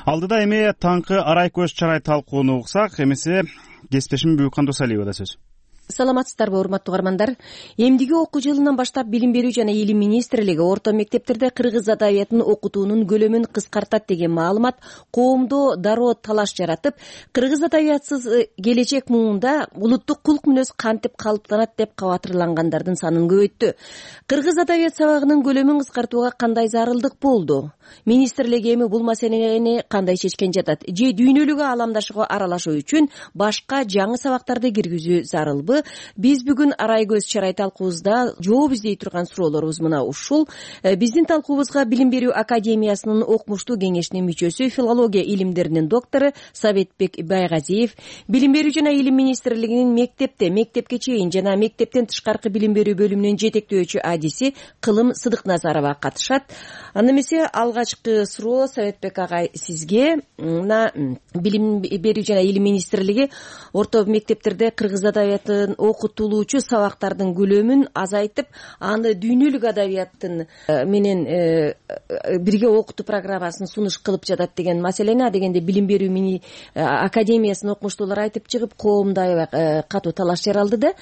Speaker 1: Алдыда эми таңкы арай көз чарай талкууну уксак, эмесе кесиптешим Бүкан Досалиева да сөз.
Speaker 6: Саламатсыздарбы, урматтуу угармандар. Эмдиги окуу жылынан баштап Билим берүү жана Илим министрлиги орто мектептерде кыргыз адабиятын окутуунун көлөмүн кыскартат деген маалымат коомдо дароо талаш жаратып, кыргыз адабиятсыз келечек муунда улуттук кулк мүнөз кантип калыптанат деп кабатырлангандардын санын көбөйттү. Кыргыз адабият сабагынын көлөмүн кыскартууга кандай зарылдык болду? Министрлик эми бул маселени кандай чечкен жатат? Же дүйнөлүк ааламдашууга аралашуу үчүн башка жаңы сабактарды киргизүү зарылбы? Биз бүгүн арай көз чарай талкуубузда жооп издей турган суроолорубуз мына ушул. Биздин талкуубузга Билим берүү академиясынын окумуштуу кеңешинин мүчөсү, филология илимдеринин доктору Сабетбек Байгазиев, Билим берүү жана Илим министрлигинин мектепке чейин жана мектептен тышкаркы билим берүү бөлүмүнүн жетектөөчү адиси Кылым Сыдыкназарова катышат. Анда эмесе алгачкы суроо Сабетбек агай сизге. Мына Билим берүү жана Илим министрлиги орто мектептерде кыргыз адабиятын окутулуучу сабактардын көлөмүн азайтып, аны дүйнөлүк адабияттын менен бирге окутуу программасын сунуш кылып жатат деген маселени дегенде Билим берүү академиясынын окумуштуулары айтып чыгып, коомдо аябай катуу талаш жаралды да.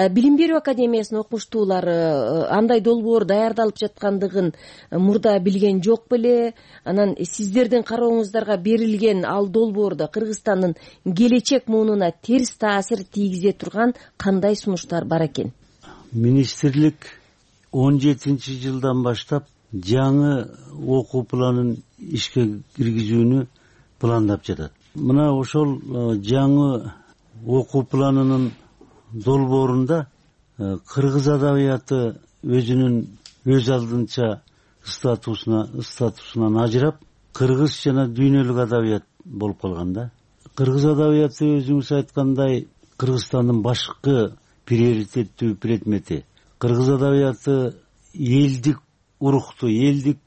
Speaker 6: Билим берүү академиясынын окумуштуулары андай долбоор даярдалып жаткандыгын мурда билген жок беле? Анан сиздердин карооңуздарга берилген ал долбоордо Кыргызстандын келечек муунуна терс таасир тийгизе турган кандай сунуштар бар экен?
Speaker 7: Министрлик 17-жылдан баштап жаңы окуу планын ишке киргизүүнү пландап жатат. Мына ошол жаңы окуу планынын долбоорунда кыргыз адабияты өз алдынча статусунан ажырап, кыргыз жана дүйнөлүк адабият болуп калган да. Кыргыз адабияты өзүңүз айткандай Кыргызстандын башкы приоритеттүү предмети. Кыргыз адабияты элдик урукту, элдик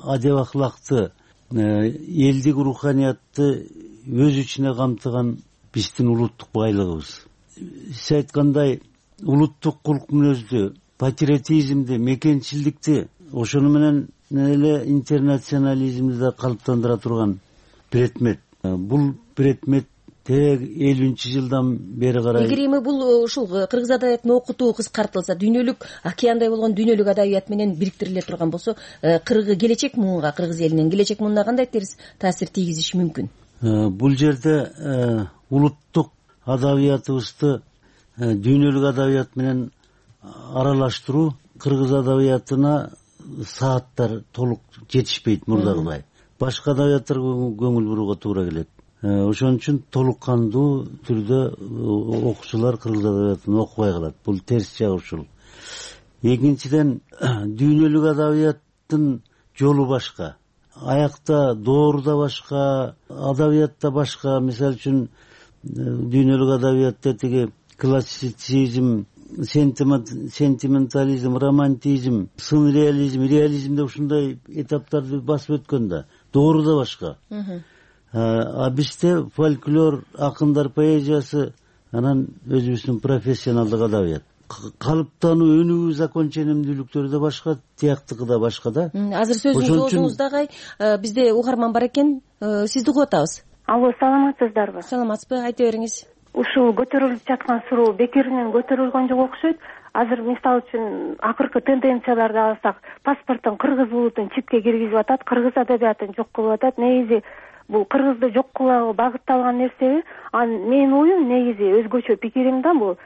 Speaker 7: адеп ахлакты, элдик руханиятты өз ичине камтыган биздин улуттук байлыгыбыз. Сиз айткандай улуттук кулк мүнөздү, патриотизмди, мекенчилдикти, ошону менен эле интернационализмди да калыптандыра турган предмет. Бул предмет 50-жылдан бери карай.
Speaker 6: Эгер эми бул ушул кыргыз адабиятын окутуу кыскартылса, дүйнөлүк океандай болгон дүйнөлүк адабият менен бириктириле турган болсо, келечек муунга, кыргыз элинин келечек муунуна кандай терс таасир тийгизиши мүмкүн?
Speaker 7: Бул жерде улуттук адабиятыбызды дүйнөлүк адабият менен аралаштыруу кыргыз адабиятына сааттар толук жетишпейт мурдагыдай. Башка адабияттарга көңүл бурууга туура келет. Ошон үчүн толук кандуу түрдө окуучулар кыргыз адабиятын окубай калат. Бул терс жагы ушул. Экинчиден, дүйнөлүк адабияттын жолу башка. Аякта дооруда башка, адабиятта башка. Мисалы үчүн дүйнөлүк адабиятта тиги классицизм сентиментализм, романтизм, сын реализм деп ушундай этаптарды басып өткөн да, доору да башка. А бизде фольклор, акындар поэзиясы, анан өзүбүздүн профессионалдык адабият. Калыптануу өнүгүү законченемдүүлүктөрү да башка, тияктыкы да башка да.
Speaker 6: Азыр сөзүңүздү оозуңуздагы бизде угарман бар экен, сизди угуп атабыз.
Speaker 8: Алло, саламатсыздарбы?
Speaker 6: Саламатсызбы, айта бериңиз.
Speaker 8: Ушул көтөрүлүп жаткан суроо бекеринен көтөрүлгөн жок окшойт. Азыр мисалы үчүн акыркы тенденцияларды алсак, паспорттон кыргыз улутун чипке киргизип атат, кыргыз адабиятын жок кылып атат. Негизи бул кыргызды жок кылууга багытталган нерсеби? Менин оюм негизи өзгөчө пикирим да бул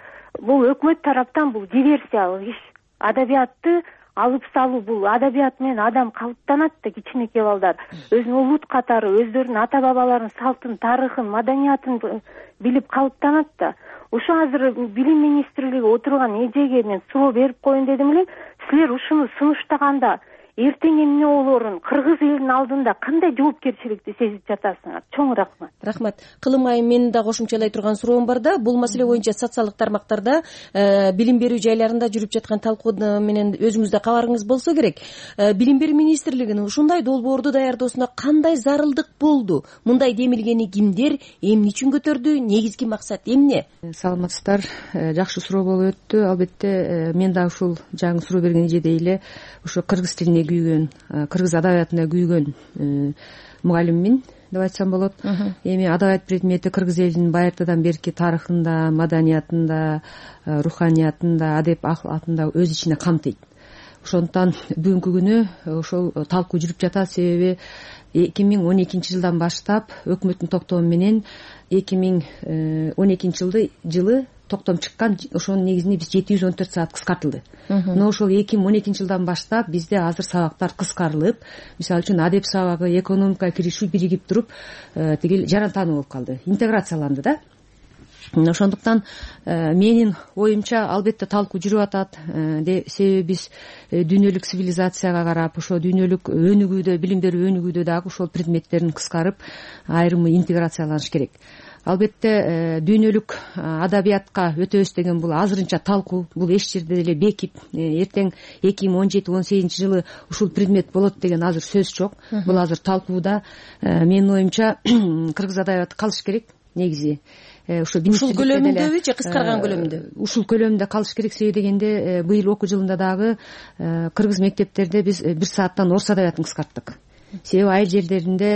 Speaker 8: өкмөт тараптан бул диверсиялык иш. Адабиятты алып салуу, бул адабият менен адам калыптанат да, кичинекей балдар өзүнүн улут катары өздөрүнүн ата бабаларынын салтын, тарыхын, маданиятын билип калыптанат да. Ушу азыр билим министрлиги отурган эжеге мен суроо берип коеюн дедим эле. Силер ушуну сунуштаганда эртең эмне болоорун кыргыз элинин алдында кандай жоопкерчиликти сезип жатасыңар? Чоң рахмат.
Speaker 6: Рахмат. Кылым айым, менин да кошумчалай турган суроом бар да. Бул маселе боюнча социалдык тармактарда, билим берүү жайларында жүрүп жаткан талкуу менен өзүңүздө кабарыңыз болсо керек. Билим берүү министрлигинин ушундай долбоорду даярдоосуна кандай зарылдык болду? Мындай демилгени кимдер, эмне үчүн көтөрдү? Негизги максат эмне?
Speaker 9: Саламатсыздар. Жакшы суроо болуп өттү. Албетте мен да ушул жаңы суроо берген эжедей эле ушу кыргыз тилине күйгөн, кыргыз адабиятына күйгөн мугалиммин деп айтсам болот. Эми адабият предмети кыргыз элинин байыртадан берки тарыхында, маданиятында, руханиятында, адеп акылатында өз ичине камтыйт. Ошондуктан бүгүнкү күнү ошол талкуу жүрүп жатат. Себеби 2012 жылдан баштап өкмөттүн токтому менен 2012 жылы токтом чыккан, ошонун негизинде биз 714 саат кыскартылды. Но ошол 2012 жылдан баштап бизде азыр сабактар кыскарылып, мисалы үчүн адеп сабагы, экономика киришүү биригип туруп, тигил жарантануу болуп калды, интеграцияланды да. Ошондуктан менин оюмча албетте талкуу жүрүп атат. Себеби биз дүйнөлүк цивилизацияга карап, ошо дүйнөлүк өнүгүүдө, билим берүү өнүгүүдө дагы ошол предметтерин кыскарып, айрымы интеграцияланыш керек. Албетте дүйнөлүк адабиятка өтөбүз деген бул азырынча талкуу, бул эч жерде деле бекип, эртең 2017-18 жылы ушул предмет болот деген азыр сөз жок. Бул азыр талкууда. Менин оюмча кыргыз адабияты калыш керек негизи. Ушул
Speaker 6: көлөмүндөбү же кыскарган көлөмүндө?
Speaker 9: Ушул көлөмүндө калыш керек. Себеби дегенде быйыл окуу жылында дагы кыргыз мектептерде биз 1 сааттан орус адабиятын кыскарттык. Себеби айыл жерлеринде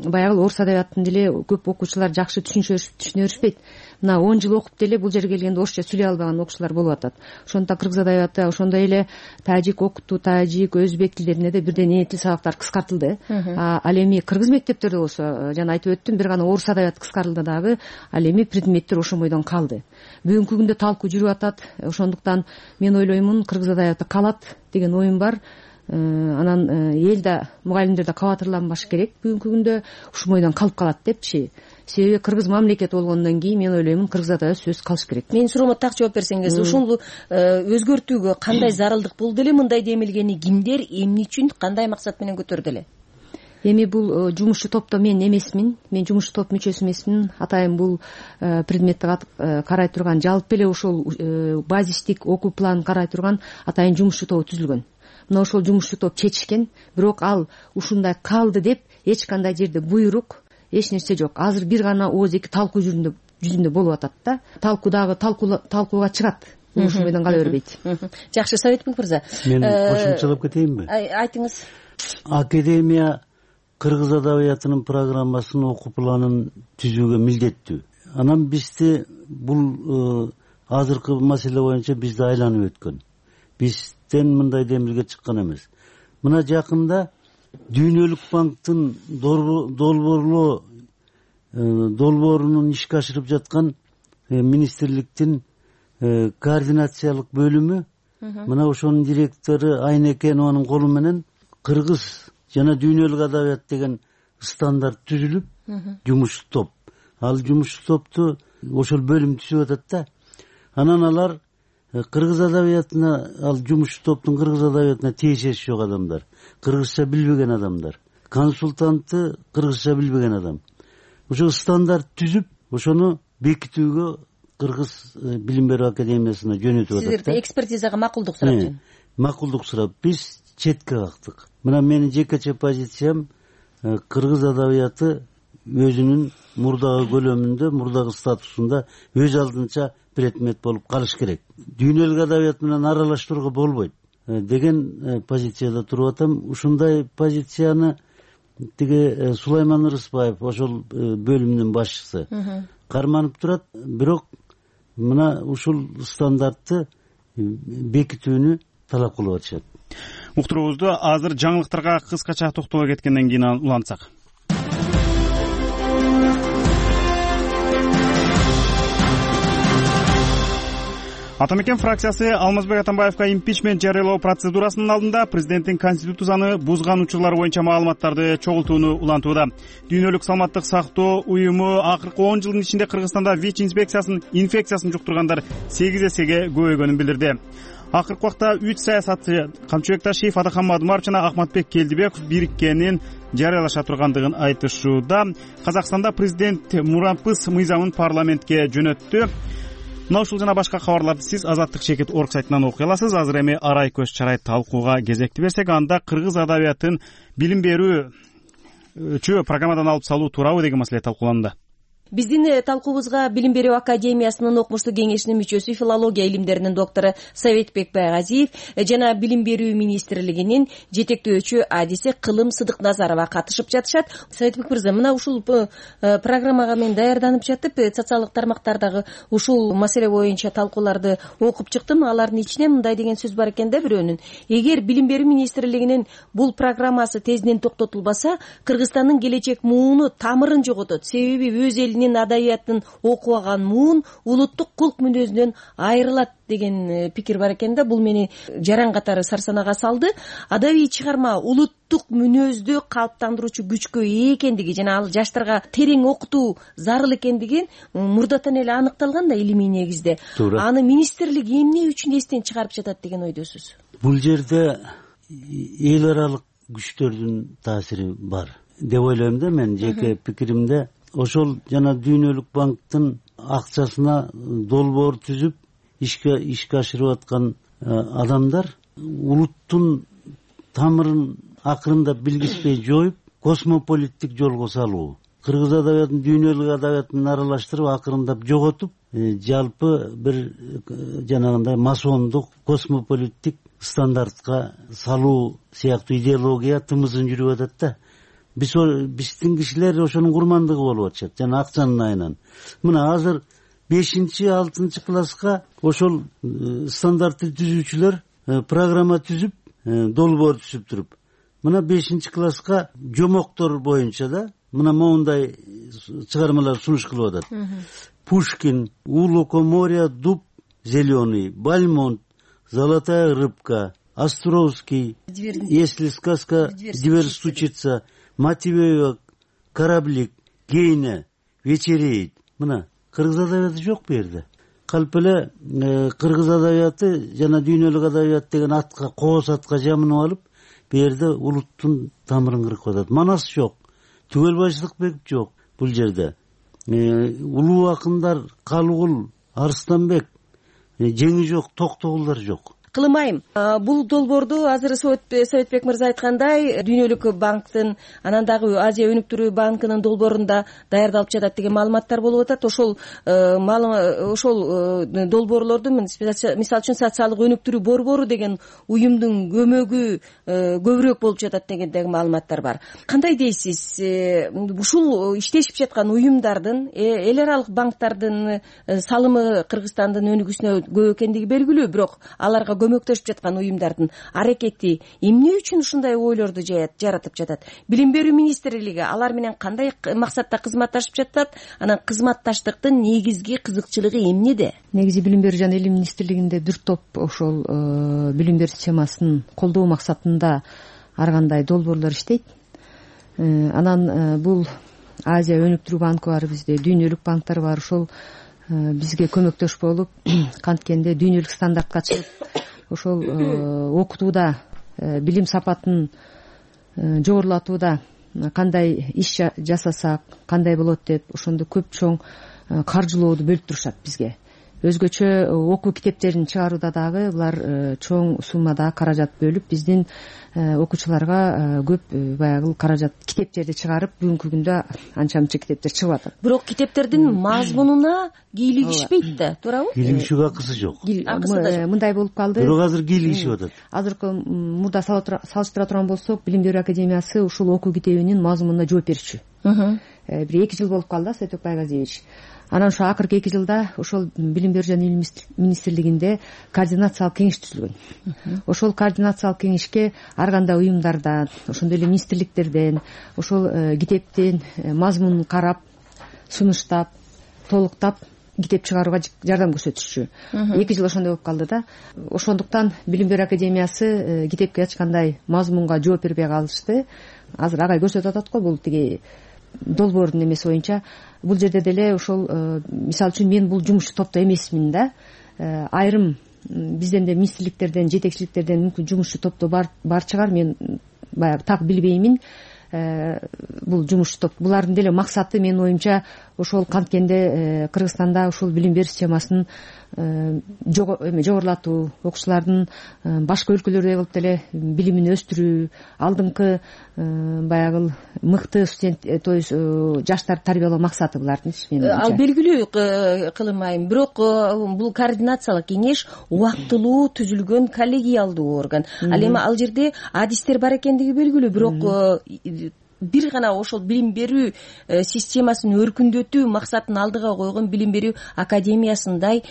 Speaker 9: баягы орус адабиятын деле көп окуучулар жакшы түшүнө беришпейт. Мына 10 жыл окуп деле бул жерге келгенде орусча сүйлөй албаган окуучулар болуп атат. Ошондуктан кыргыз адабияты, ошондой эле тажик окутуу, тажик, өзбек тилдерине да бирден эне тил сабактар кыскартылды. Ал эми кыргыз мектептерде болсо, жана айтып өттүм, бир гана орус адабияты кыскарылды дагы, ал эми предметтер ошол бойдон калды. Бүгүнкү күндө талкуу жүрүп атат. Ошондуктан мен ойлоймун, кыргыз адабияты калат деген оюм бар. Анан эл да, мугалимдер да кабатырланбаш керек. Бүгүнкү күндө ушул бойдон калып калат депчи. Себеби кыргыз мамлекет болгондон кийин мен ойлоймун, кыргыз адабияты сөзсүз калыш керек.
Speaker 6: Менин суроомо так жооп берсеңиз, ушул өзгөртүүгө кандай зарылдык болду эле? Мындай демилгени кимдер, эмне үчүн, кандай максат менен көтөрдү эле?
Speaker 9: Эми бул жумушчу топто мен эмесмин. Мен жумушчу топ мүчөсү эмесмин. Атайын бул предметти карай турган, жалпы эле ошол базистик окуу планын карай турган атайын жумушчу тобу түзүлгөн. Мына ошол жумушчу топ чечишкен, бирок ал ушундай калды деп эч кандай жерде буйрук, эч нерсе жок. Азыр бир гана ооз эки талкуу жүзүндө болуп атат да. Талкуу дагы талкууга чыгат. Ушул бойдон кала бербейт.
Speaker 6: Жакшы, Советбек мырза.
Speaker 7: Мен кошумчалап кетейинби?
Speaker 6: Айтыңыз.
Speaker 7: Академия кыргыз адабиятынын программасын, окуу планын түзүүгө милдеттүү. Анан бизди бул азыркы маселе боюнча бизди айланып өткөн. Бизден мындай демилге чыккан эмес. Мына жакында Дүйнөлүк банктын долбоорунун ишке ашырып жаткан министрликтин координациялык бөлүмү, мына ошонун директору Айнекенованын колу менен кыргыз жана дүйнөлүк адабият деген стандарт түзүлүп, жумуш топ. Ал жумуш топту ошол бөлүм түзүп атат да. Анан алар кыргыз адабиятына, ал жумуш топтун кыргыз адабиятына тиешеси жок адамдар, кыргызча билбеген адамдар, консультанты кыргызча билбеген адам. Ошо стандарт түзүп, ошону бекитүүгө кыргыз билим берүү академиясына жөнөтүп атат.
Speaker 6: Сиздер экспертизага макулдук сурап
Speaker 7: макулдук сурап биз четке кактык. Мына менин жекече позициям кыргыз адабияты өзүнүн мурдагы көлөмүндө, мурдагы статусунда өз алдынча предмет болуп калыш керек. Дүйнөлүк адабият менен аралаштырууга болбойт деген позицияда туруп атам. Ушундай позицияны тиги Сулайман Ырысбаев, ошол бөлүмдүн башчысы карманып турат. Бирок мына ушул стандартты бекитүүнү талап кылып атышат.
Speaker 1: Уктуруубузду азыр жаңылыктарга кыскача токтоло кеткенден кийин улантсак. Ата Мекен фракциясы Алмазбек Атамбаевга импичмент жарыялоо процедурасынын алдында президенттин конституцияны бузган учурлар боюнча маалыматтарды чогултууну улантууда. Дүйнөлүк саламаттык сактоо уюму акыркы 10 жылдын ичинде Кыргызстанда ВИЧ инфекциясын жуктургандар 8 эсеге көбөйгөнүн билдирди. Акыркы убакта 3 саясатчы Камчыбек Ташиев, Адахан Мадумаров жана Ахматбек Келдибеков бириккенин жарыялаша тургандыгын айтышууда. Казакстанда президент мурампыз мыйзамын парламентке жөнөттү. Мына ушул жана башка кабарларды сиз Азаттык Чекит орг сайтынан окуй аласыз. Азыр эми арай көз чарай талкууга кезекти берсек, анда кыргыз адабиятын билим берүүчү программадан алып салуу туурабы деген маселе талкууланды.
Speaker 6: Биздин талкуубузга Билим берүү академиясынын окумуштук кеңешинин мүчөсү, филология илимдеринин доктору Советбек Байгазиев жана Билим берүү министрлигинин жетектөөчү адиси Кылым Сыдыкназарова катышып жатышат. Советбек мырза, мына ушул программага мен даярданып жатып, социалдык тармактардагы ушул маселе боюнча талкууларды окуп чыктым. Алардын ичинен мындай деген сөз бар экен да бирөөнүн: эгер Билим берүү министрлигинин бул программасы тезинен токтотулбаса, Кыргызстандын келечек мууну тамырын жоготот. Себеби өз элинин адабиятын окубаган муун улуттук кулк мүнөзүнөн айрылат деген пикир бар экен да. Бул мени жаран катары сарсанага салды. Адабий чыгарма улуттук мүнөздү калыптандыруучу күчкө ээ экендиги жана ал жаштарга терең окутуу зарыл экендиги мурдатан эле аныкталган да илимий негизде. Аны министрлик эмне үчүн эстен чыгарып жатат деген ойдосуз?
Speaker 7: Бул жерде эл аралык күчтөрдүн таасири бар деп ойлойм да. Мен жеке пикиримде ошол жана Дүйнөлүк банктын акчасына долбоор түзүп ишке ашырып аткан адамдар улуттун тамырын акырындап билгиспей жоюп, космополиттик жолго салуу, кыргыз адабиятын дүйнөлүк адабият менен аралаштырып акырындап жоготуп, жалпы бир жанагындай масондук космополиттик стандартка салуу сыяктуу идеология тымызын жүрүп атат да. Биздин кишилер ошонун курмандыгы болуп атышат жана акчанын айынан. Мына азыр 5-6 класска ошол стандартты түзүүчүлөр программа түзүп, долбоор түзүп туруп, мына 5 класска жомоктор боюнча да мына моундай чыгармалар сунуш кылып атат. Пушкин, У лукоморья дуб зеленый, Бальмонт, Золотая рыбка, Островский, Если сказка дверь стучится, Матвеева, Кораблик, Гейне, Вечереет. Мына кыргыз адабияты жок бу жерде. Калп эле кыргыз адабияты жана дүйнөлүк адабият деген атка, кооз атка жамынып алып, бу жерде улуттун тамырын кыркып атат. Манас жок, Түгөлбай Сыдыкбеков жок бул жерде. Улуу акындар Калыгул, Арыстанбек, жеңи жок, Токтогулдар жок.
Speaker 6: Кылымайым. Бул долбоорду азыр Советбек мырза айткандай Дүйнөлүк банктын, анан дагы Азия өнүктүрүү банкынын долбоорунда даярдалып жатат деген маалыматтар болуп атат. Ошол долбоорлорду мисалы үчүн социалдык өнүктүрүү борбору деген уюмдун көмөгү көбүрөөк болуп жатат деген маалыматтар бар. Кандай дейсиз? Ушул иштешип жаткан уюмдардын, эл аралык банктардын салымы Кыргызстандын өнүгүүсүнө көп экендиги белгилүү, бирок аларга көмөктөшүп жаткан уюмдардын аракети эмне үчүн ушундай ойлорду жаратып жатат? Билим берүү министрлиги алар менен кандай максатта кызматташып жатат? Анан кызматташтыктын негизги кызыкчылыгы эмнеде?
Speaker 9: Негизи Билим берүү жана илим министрлигинде бир топ ошол билим берүү системасын колдоо максатында ар кандай долбоорлор иштейт. Анан бул Азия өнүктүрүү банкы бар бизде, дүйнөлүк банктар бар. Ошол бизге көмөктөш болуп, канткенде дүйнөлүк стандартка чыгып, ошол окутууда билим сапатын жогорулатууда кандай иш жасасак кандай болот деп ошондо көп чоң каржылооду бөлүп турушат бизге. өзгөчө окуу китептерин чыгарууда дагы булар чоң суммада каражат бөлүп биздин окуучуларга көп баягы каражат китептерди чыгарып бүгүнкү күндө анча мынча китептер чыгып атат.
Speaker 6: Бирок китептердин мазмунуна кийлигишпейт да, туурабы?
Speaker 7: Кийлигишүүгө акысы жок.
Speaker 9: Мындай болуп калды.
Speaker 7: Бирок азыр кийлигишип атат.
Speaker 9: Азыркы мурда салыштыра турган болсок, Билим берүү академиясы ушул окуу китебинин мазмунуна жооп берчү. Бир 2 жыл болуп калды, Сайток Байгазиевич. Анан ошо акыркы 2 жылда ошол Билим берүү жана илим министрлигинде координациялык кеңеш түзүлгөн. Ошол координациялык кеңешке ар кандай уюмдардан, ошондой эле министрликтерден ошол китептин мазмунун карап, сунуштап, толуктап китеп чыгарууга жардам көрсөтүшчү. 2 жыл ошондой болуп калды да. Ошондуктан Билим берүү академиясы китепке эч кандай мазмунга жооп бербей калышты. Азыр агай көрсөтүп атат го, бул тиги долбоордун эмеси боюнча. Бул жерде деле ошол мисалы үчүн мен бул жумушчу топто эмесмин да. Айрым бизден де министрликтерден, жетекчиликтерден мүмкүн жумушчу топто бар чыгар, мен баягы так билбеймин. Бул жумушчу топ, булардын деле максаты менин оюмча ошол канткенде Кыргызстанда ушул билим берүү системасын жогорулатуу, окуучулардын башка өлкөлөрдөй болуп деле билимин өстүрүү, алдыңкы баягы мыкты студент, то есть жаштарды тарбиялоо максаты булардын.
Speaker 6: Ал белгилүү кылынмайм, бирок бул координациялык кеңеш убактылуу түзүлгөн коллегиалдуу орган. Ал эми ал жерде адистер бар экендиги белгилүү, бирок бир гана ошол билим берүү системасын өркүндөтүү максатын алдыга койгон Билим берүү академиясындай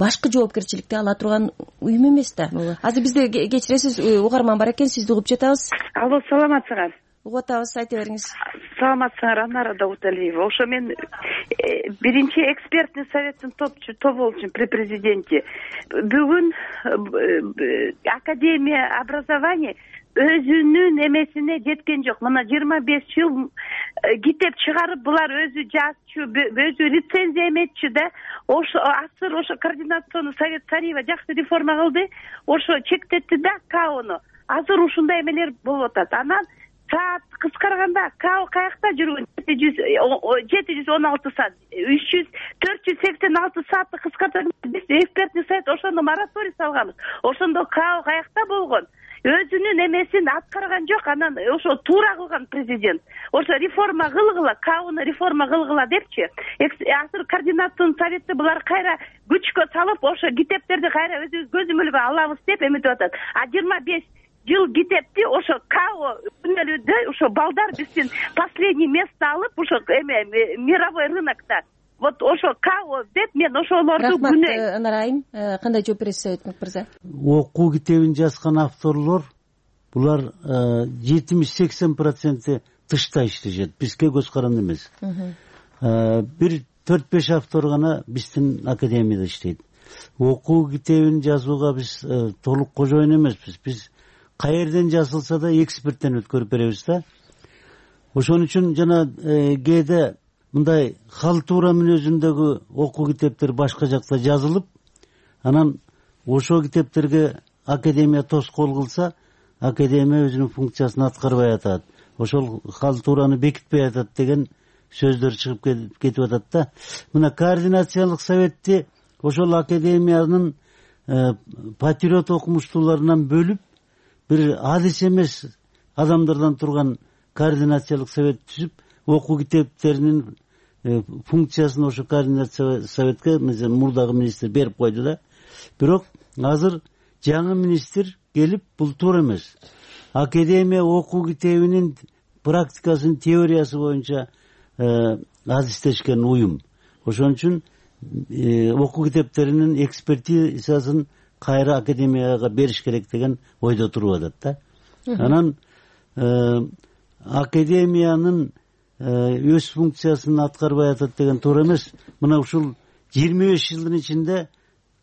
Speaker 6: башкы жоопкерчиликти ала турган уюм эмес да. Азыр бизде кечиресиз угарман бар экен, сизди угуп жатабыз.
Speaker 3: Алло, саламатсыңар?
Speaker 6: Угуп атабыз, айта бериңиз.
Speaker 3: Саламатсыңар, Анара Дауталиева. Ошо мен биринчи экспертный советтин тоболчумун при президенте. Бүгүн Академия образования өзүнүн эмесине жеткен жок. Мына 25 жыл китеп чыгарып, булар өзү жазчу, өзү рецензия эметчү да. Ошо асыр ошо координационный совет Царева жакшы реформа кылды. Ошо чектетти да КАОну. Азыр ушундай эмелер болуп атат. Анан саат кыскарганда КАО каякта жүргөн? 716 саат, 486 саатты кыскартып, биз экспертный совет ошондо мораторий салганбыз. Ошондо КАО каякта болгон? Өзүнүн эмесин аткарган жок. Анан ошо туура кылган президент. Ошо реформа кылгыла, КАОну реформа кылгыла депчи. Азыр координационный советти булар кайра күчкө салып, ошо китептерди кайра өзүбүз көзөмөлгө алабыз деп эметип атат. 25 жыл китепти ошо КАО күнөлүдө ошо балдар биздин последний место алып, ошо мировой рынокто. Вот ошо КАО деп мен ошолорду күнөйм.
Speaker 6: Рахмат, Анарайым. Кандай жооп бересиз, Советник мырза?
Speaker 7: Окуу китебин жазган авторлор булар 70-80% тышта иштешет, бизге көз каранды эмес. Бир 4-5 автор гана биздин академияда иштейт. Окуу китебин жазууга биз толук кожоюн эмеспиз. Биз каерден жазылса да эксперттен өткөрүп беребиз да. Ошон үчүн жана кээде мындай халтура мүнөзүндөгү окуу китептер башка жакта жазылып, анан ошол китептерге академия тоскоол кылса, академия өзүнүн функциясын аткарбай атат. Ошол халтураны бекитпей атат деген сөздөр чыгып кетип атат да. Мына координациялык советти ошол академиянын патриот окумуштууларынан бөлүп, бир адис эмес адамдардан турган координациялык совет түзүп, окуу китептеринин функциясын ошо координация советке мурдагы министр берип койду да. Бирок азыр жаңы министр келип, бул туура эмес. Академия окуу китебинин практикасын, теориясы боюнча адистешкен уюм. Ошон үчүн окуу китептеринин экспертизасын кайра академияга бериш керек деген ойдо туруп атат да. Анан академиянын өз функциясын аткарбай атат деген туура эмес. Мына ушул 25 жылдын ичинде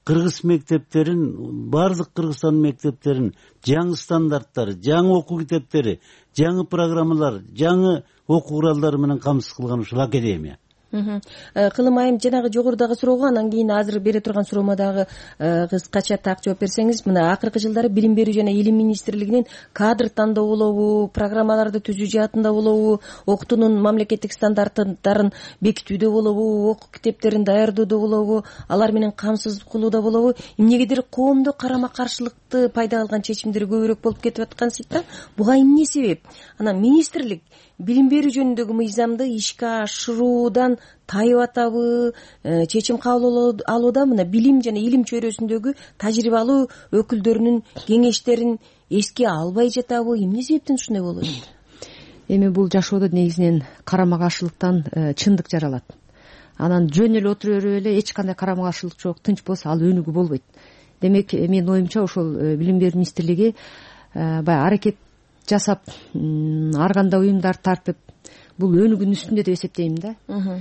Speaker 7: кыргыз мектептерин, баардык Кыргызстан мектептерин жаңы стандарттары, жаңы окуу китептери, жаңы программалар, жаңы окуу куралдары менен камсыз кылган ушул академия.
Speaker 6: Кылым айым жанагы жогорудагы суроого анан кийин азыр бере турган суроомо дагы кыскача так жооп берсеңиз, мына акыркы жылдары билим берүү жана илим министрлигинин кадр тандоо болобу, программаларды түзүү жаатында болобу, окутуунун мамлекеттик стандарттарын бекитүүдө болобу, окуу китептерин даярдоодо болобу, алар менен камсыз кылууда болобу, эмнегедир коомдо карама каршылыкты пайда кылган чечимдер көбүрөөк болуп кетип аткансыйт да. Буга эмне себеп? Анан министрлик билим берүү жөнүндөгү мыйзамды ишке ашыруудан тайып атабы, чечим кабыл алууда мына билим жана илим чөйрөсүндөгү тажрыйбалуу өкүлдөрүнүн кеңештерин эске албай жатабы, эмне себептен ушундай болуп атат?
Speaker 9: Эми бул жашоодо негизинен карама каршылыктан чындык жаралат. Анан жөн эле отура берип эле эч кандай карама каршылык жок, тынч болсо ал өнүгүү болбойт. Демек менин оюмча ошол билим берүү министрлиги баягы аракет жасап, ар кандай уюмдарды тартып, бул өнүгүүнүн үстүндө деп эсептейм да.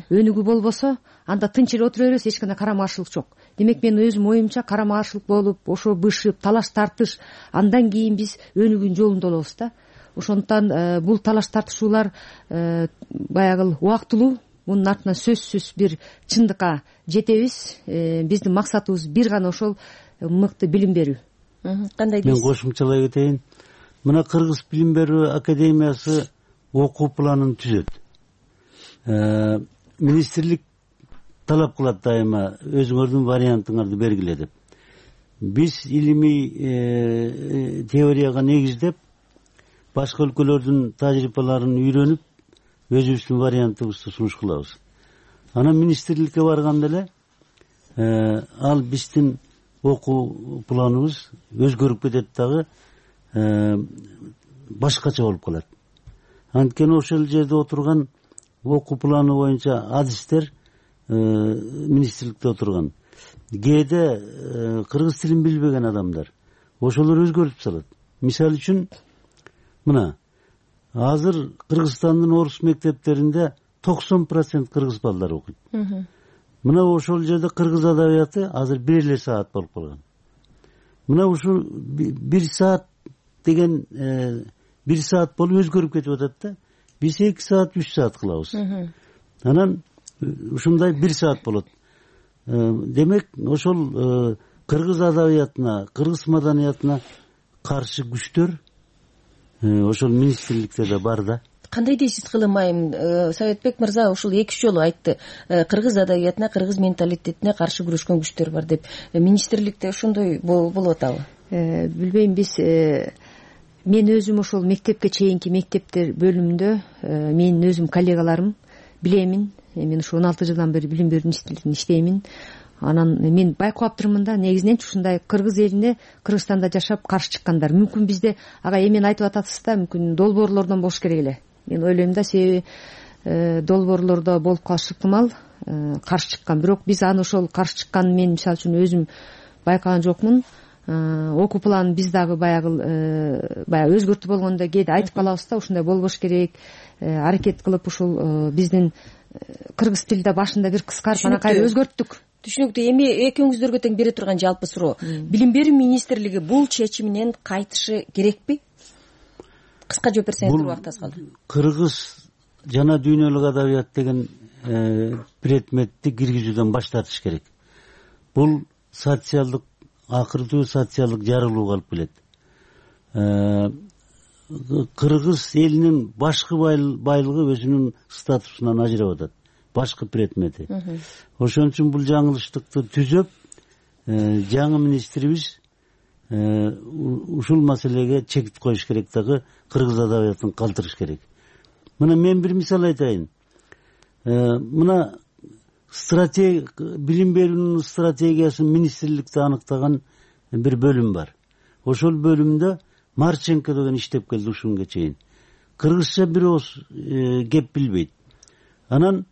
Speaker 9: Өнүгүү болбосо анда тынч эле отура беребиз, эч кандай карама каршылык жок. Демек менин өзүм оюмча карама каршылык болуп, ошо бышып, талаш тартыш, андан кийин биз өнүгүүнүн жолунда болобуз да. Ошондуктан бул талаш тартышуулар баягы убактылуу, мунун артынан сөзсүз бир чындыкка жетебиз. Биздин максатыбыз бир гана ошол мыкты билим берүү.
Speaker 6: Кандай дейсиз?
Speaker 7: Мен кошумчалай кетейин. Мына Кыргыз билим берүү академиясы окуу планын түзөт. Министрлик талап кылат дайыма өзүңөрдүн вариантыңарды бергиле деп. Биз илимий теорияга негиздеп, башка өлкөлөрдүн тажрыйбаларын үйрөнүп, өзүбүздүн вариантыбызды сунуш кылабыз. Анан министрликке барганда эле ал биздин окуу планыбыз өзгөрүп кетет дагы, башкача болуп калат. Анткени ошол жерде отурган окуу планы боюнча адистер министрликте отурган. Кээде кыргыз тилин билбеген адамдар ошолор өзгөртүп салат. Мисалы үчүн мына азыр Кыргызстандын орус мектептеринде 90% кыргыз балдары окуйт. Мына ошол жерде кыргыз адабияты азыр 1 эле саат болуп калган. Мына ушу 1 саат деген 1 саат болуп өзгөрүп кетип атат да. Биз 2 саат, 3 саат кылабыз. Анан ушундай 1 саат болот. Демек ошол кыргыз адабиятына, кыргыз маданиятына каршы күчтөр ошол министрликте да бар да.
Speaker 6: Кандай дейсиз Кылым айым? Советбек мырза ушул 2 жолу айтты. Кыргыз адабиятына, кыргыз менталитетине каршы күрөшкөн күчтөр бар деп. Министрликте ошондой болуп атабы?
Speaker 9: Билбейм, биз мен өзүм ошол мектепке чейинки мектептер бөлүмүндө менин өзүм коллегаларым билемин. Мен ушу 16 жылдан бери билим берүү министрлигинде иштеймин. Анан мен байкап аптырмын да, негизинен ушундай кыргыз элине Кыргызстанда жашап каршы чыккандар. Мүмкүн бизде ага эмен айтып атасыз да, мүмкүн долбоорлордон болуш керек эле. Мен ойлойм да, себеби долбоорлордо болуп калышы ыктымал каршы чыккан. Бирок биз аны ошол каршы чыкканын мен мисалы үчүн өзүм байкаган жокмун. Окуу планын биз дагы баягы өзгөртүп болгондо кээде айтып калабыз да, ушундай болбош керек, аракет кылып ушул биздин кыргыз тилде башында бир кыскартып анан кайра өзгөрттүк.
Speaker 6: Түшүнүктүү. Эми экөөңүздөргө тең бере турган жалпы суроо. Билим берүү министрлиги бул чечиминен кайтышы керекпи? Кыска жооп берсеңиз, убакыт аз калды.
Speaker 7: Кыргыз жана дүйнөлүк адабият деген предметти киргизүүдөн баш тартыш керек. Бул социалдык, акыртуу социалдык жарылууга алып келет. Кыргыз элинин башкы байлыгы өзүнүн статусунан ажырап атат. Башкы предмети. Ошон үчүн бул жаңылыштыкты түзөп, жаңы министрибиз ушул маселеге чек коюш керек дагы, кыргыз адабиятын калтырыш керек. Мына мен бир мисал айтайын. Мына билим берүүнүн стратегиясын министрликте аныктаган бир бөлүм бар. Ошол бөлүмдө Марченко деген иштеп келди ушул күнгө чейин. Кыргызча бир ооз кеп билбейт. Анан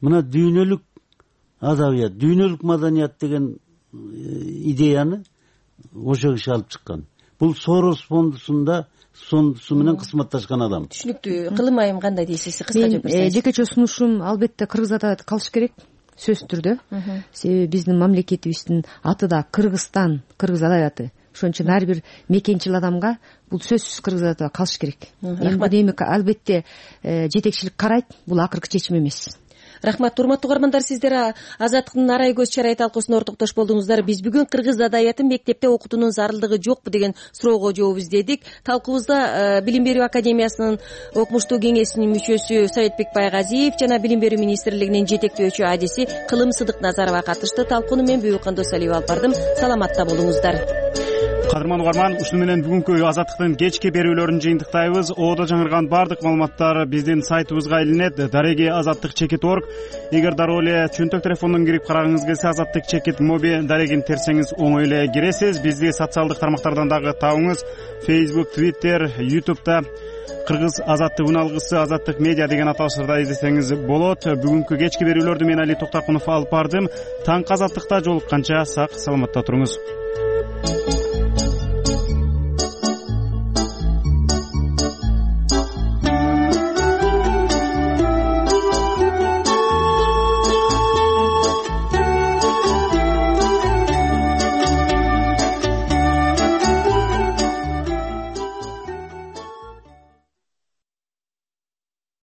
Speaker 7: мына дүйнөлүк адабият, дүйнөлүк маданият деген идеяны ошол киши алып чыккан. Бул Сорос фондусу менен кызматташкан адам.
Speaker 6: Түшүнүктүү. Кылым айым кандай дейсиз? Кыска жооп берсеңиз.
Speaker 9: Мен жекече сунушум албетте кыргыз адабияты калыш керек, сөзсүз түрдө. Себеби биздин мамлекетибиздин аты да Кыргызстан, кыргыз адабияты. Ошон үчүн ар бир мекенчил адамга бул сөзсүз кыргыз адабияты калыш керек. Эми албетте жетекчилик карайт, бул акыркы чечим эмес.
Speaker 6: Рахмат. Урматтуу угармандар, сиздер Азаттыктын арай көз чарай талкуусуна ортоктош болдуңуздар. Биз бүгүн кыргыз адабиятын мектепте окутуунун зарылдыгы жокпу деген суроого жооп издедик. Талкуубузда Билим берүү академиясынын окумуштуу кеңесинин мүчөсү Советбек Байгазиев жана Билим берүү министрлигинин жетектөөчү адиси Кылым Сыдыкназарова катышты. Талкууну мен Бүйүк Кандосалиева алып бардым. Саламатта болуңуздар.
Speaker 1: Кадырман угарман, ушуну менен бүгүнкү Азаттыктын кечки берүүлөрүн жыйынтыктайбыз. Оодо жаңырган баардык маалыматтар биздин сайтыбызга илинет. Дареги azattik.org. Эгер дароо эле чөнтөк телефондон кирип карагыңыз келсе, Азаттык чекит моби дарегин терсеңиз оңой эле киресиз. Бизди социалдык тармактардан дагы табыңыз. Facebook, Twitter, YouTube'да Кыргыз Азаттык үналгысы, Азаттык медиа деген аталыштарда издесеңиз болот. Бүгүнкү кечки берүүлөрдү мен Али Токтаркунов алып бардым. Таңкы Азаттыкта жолукканча сак саламатта туруңуз.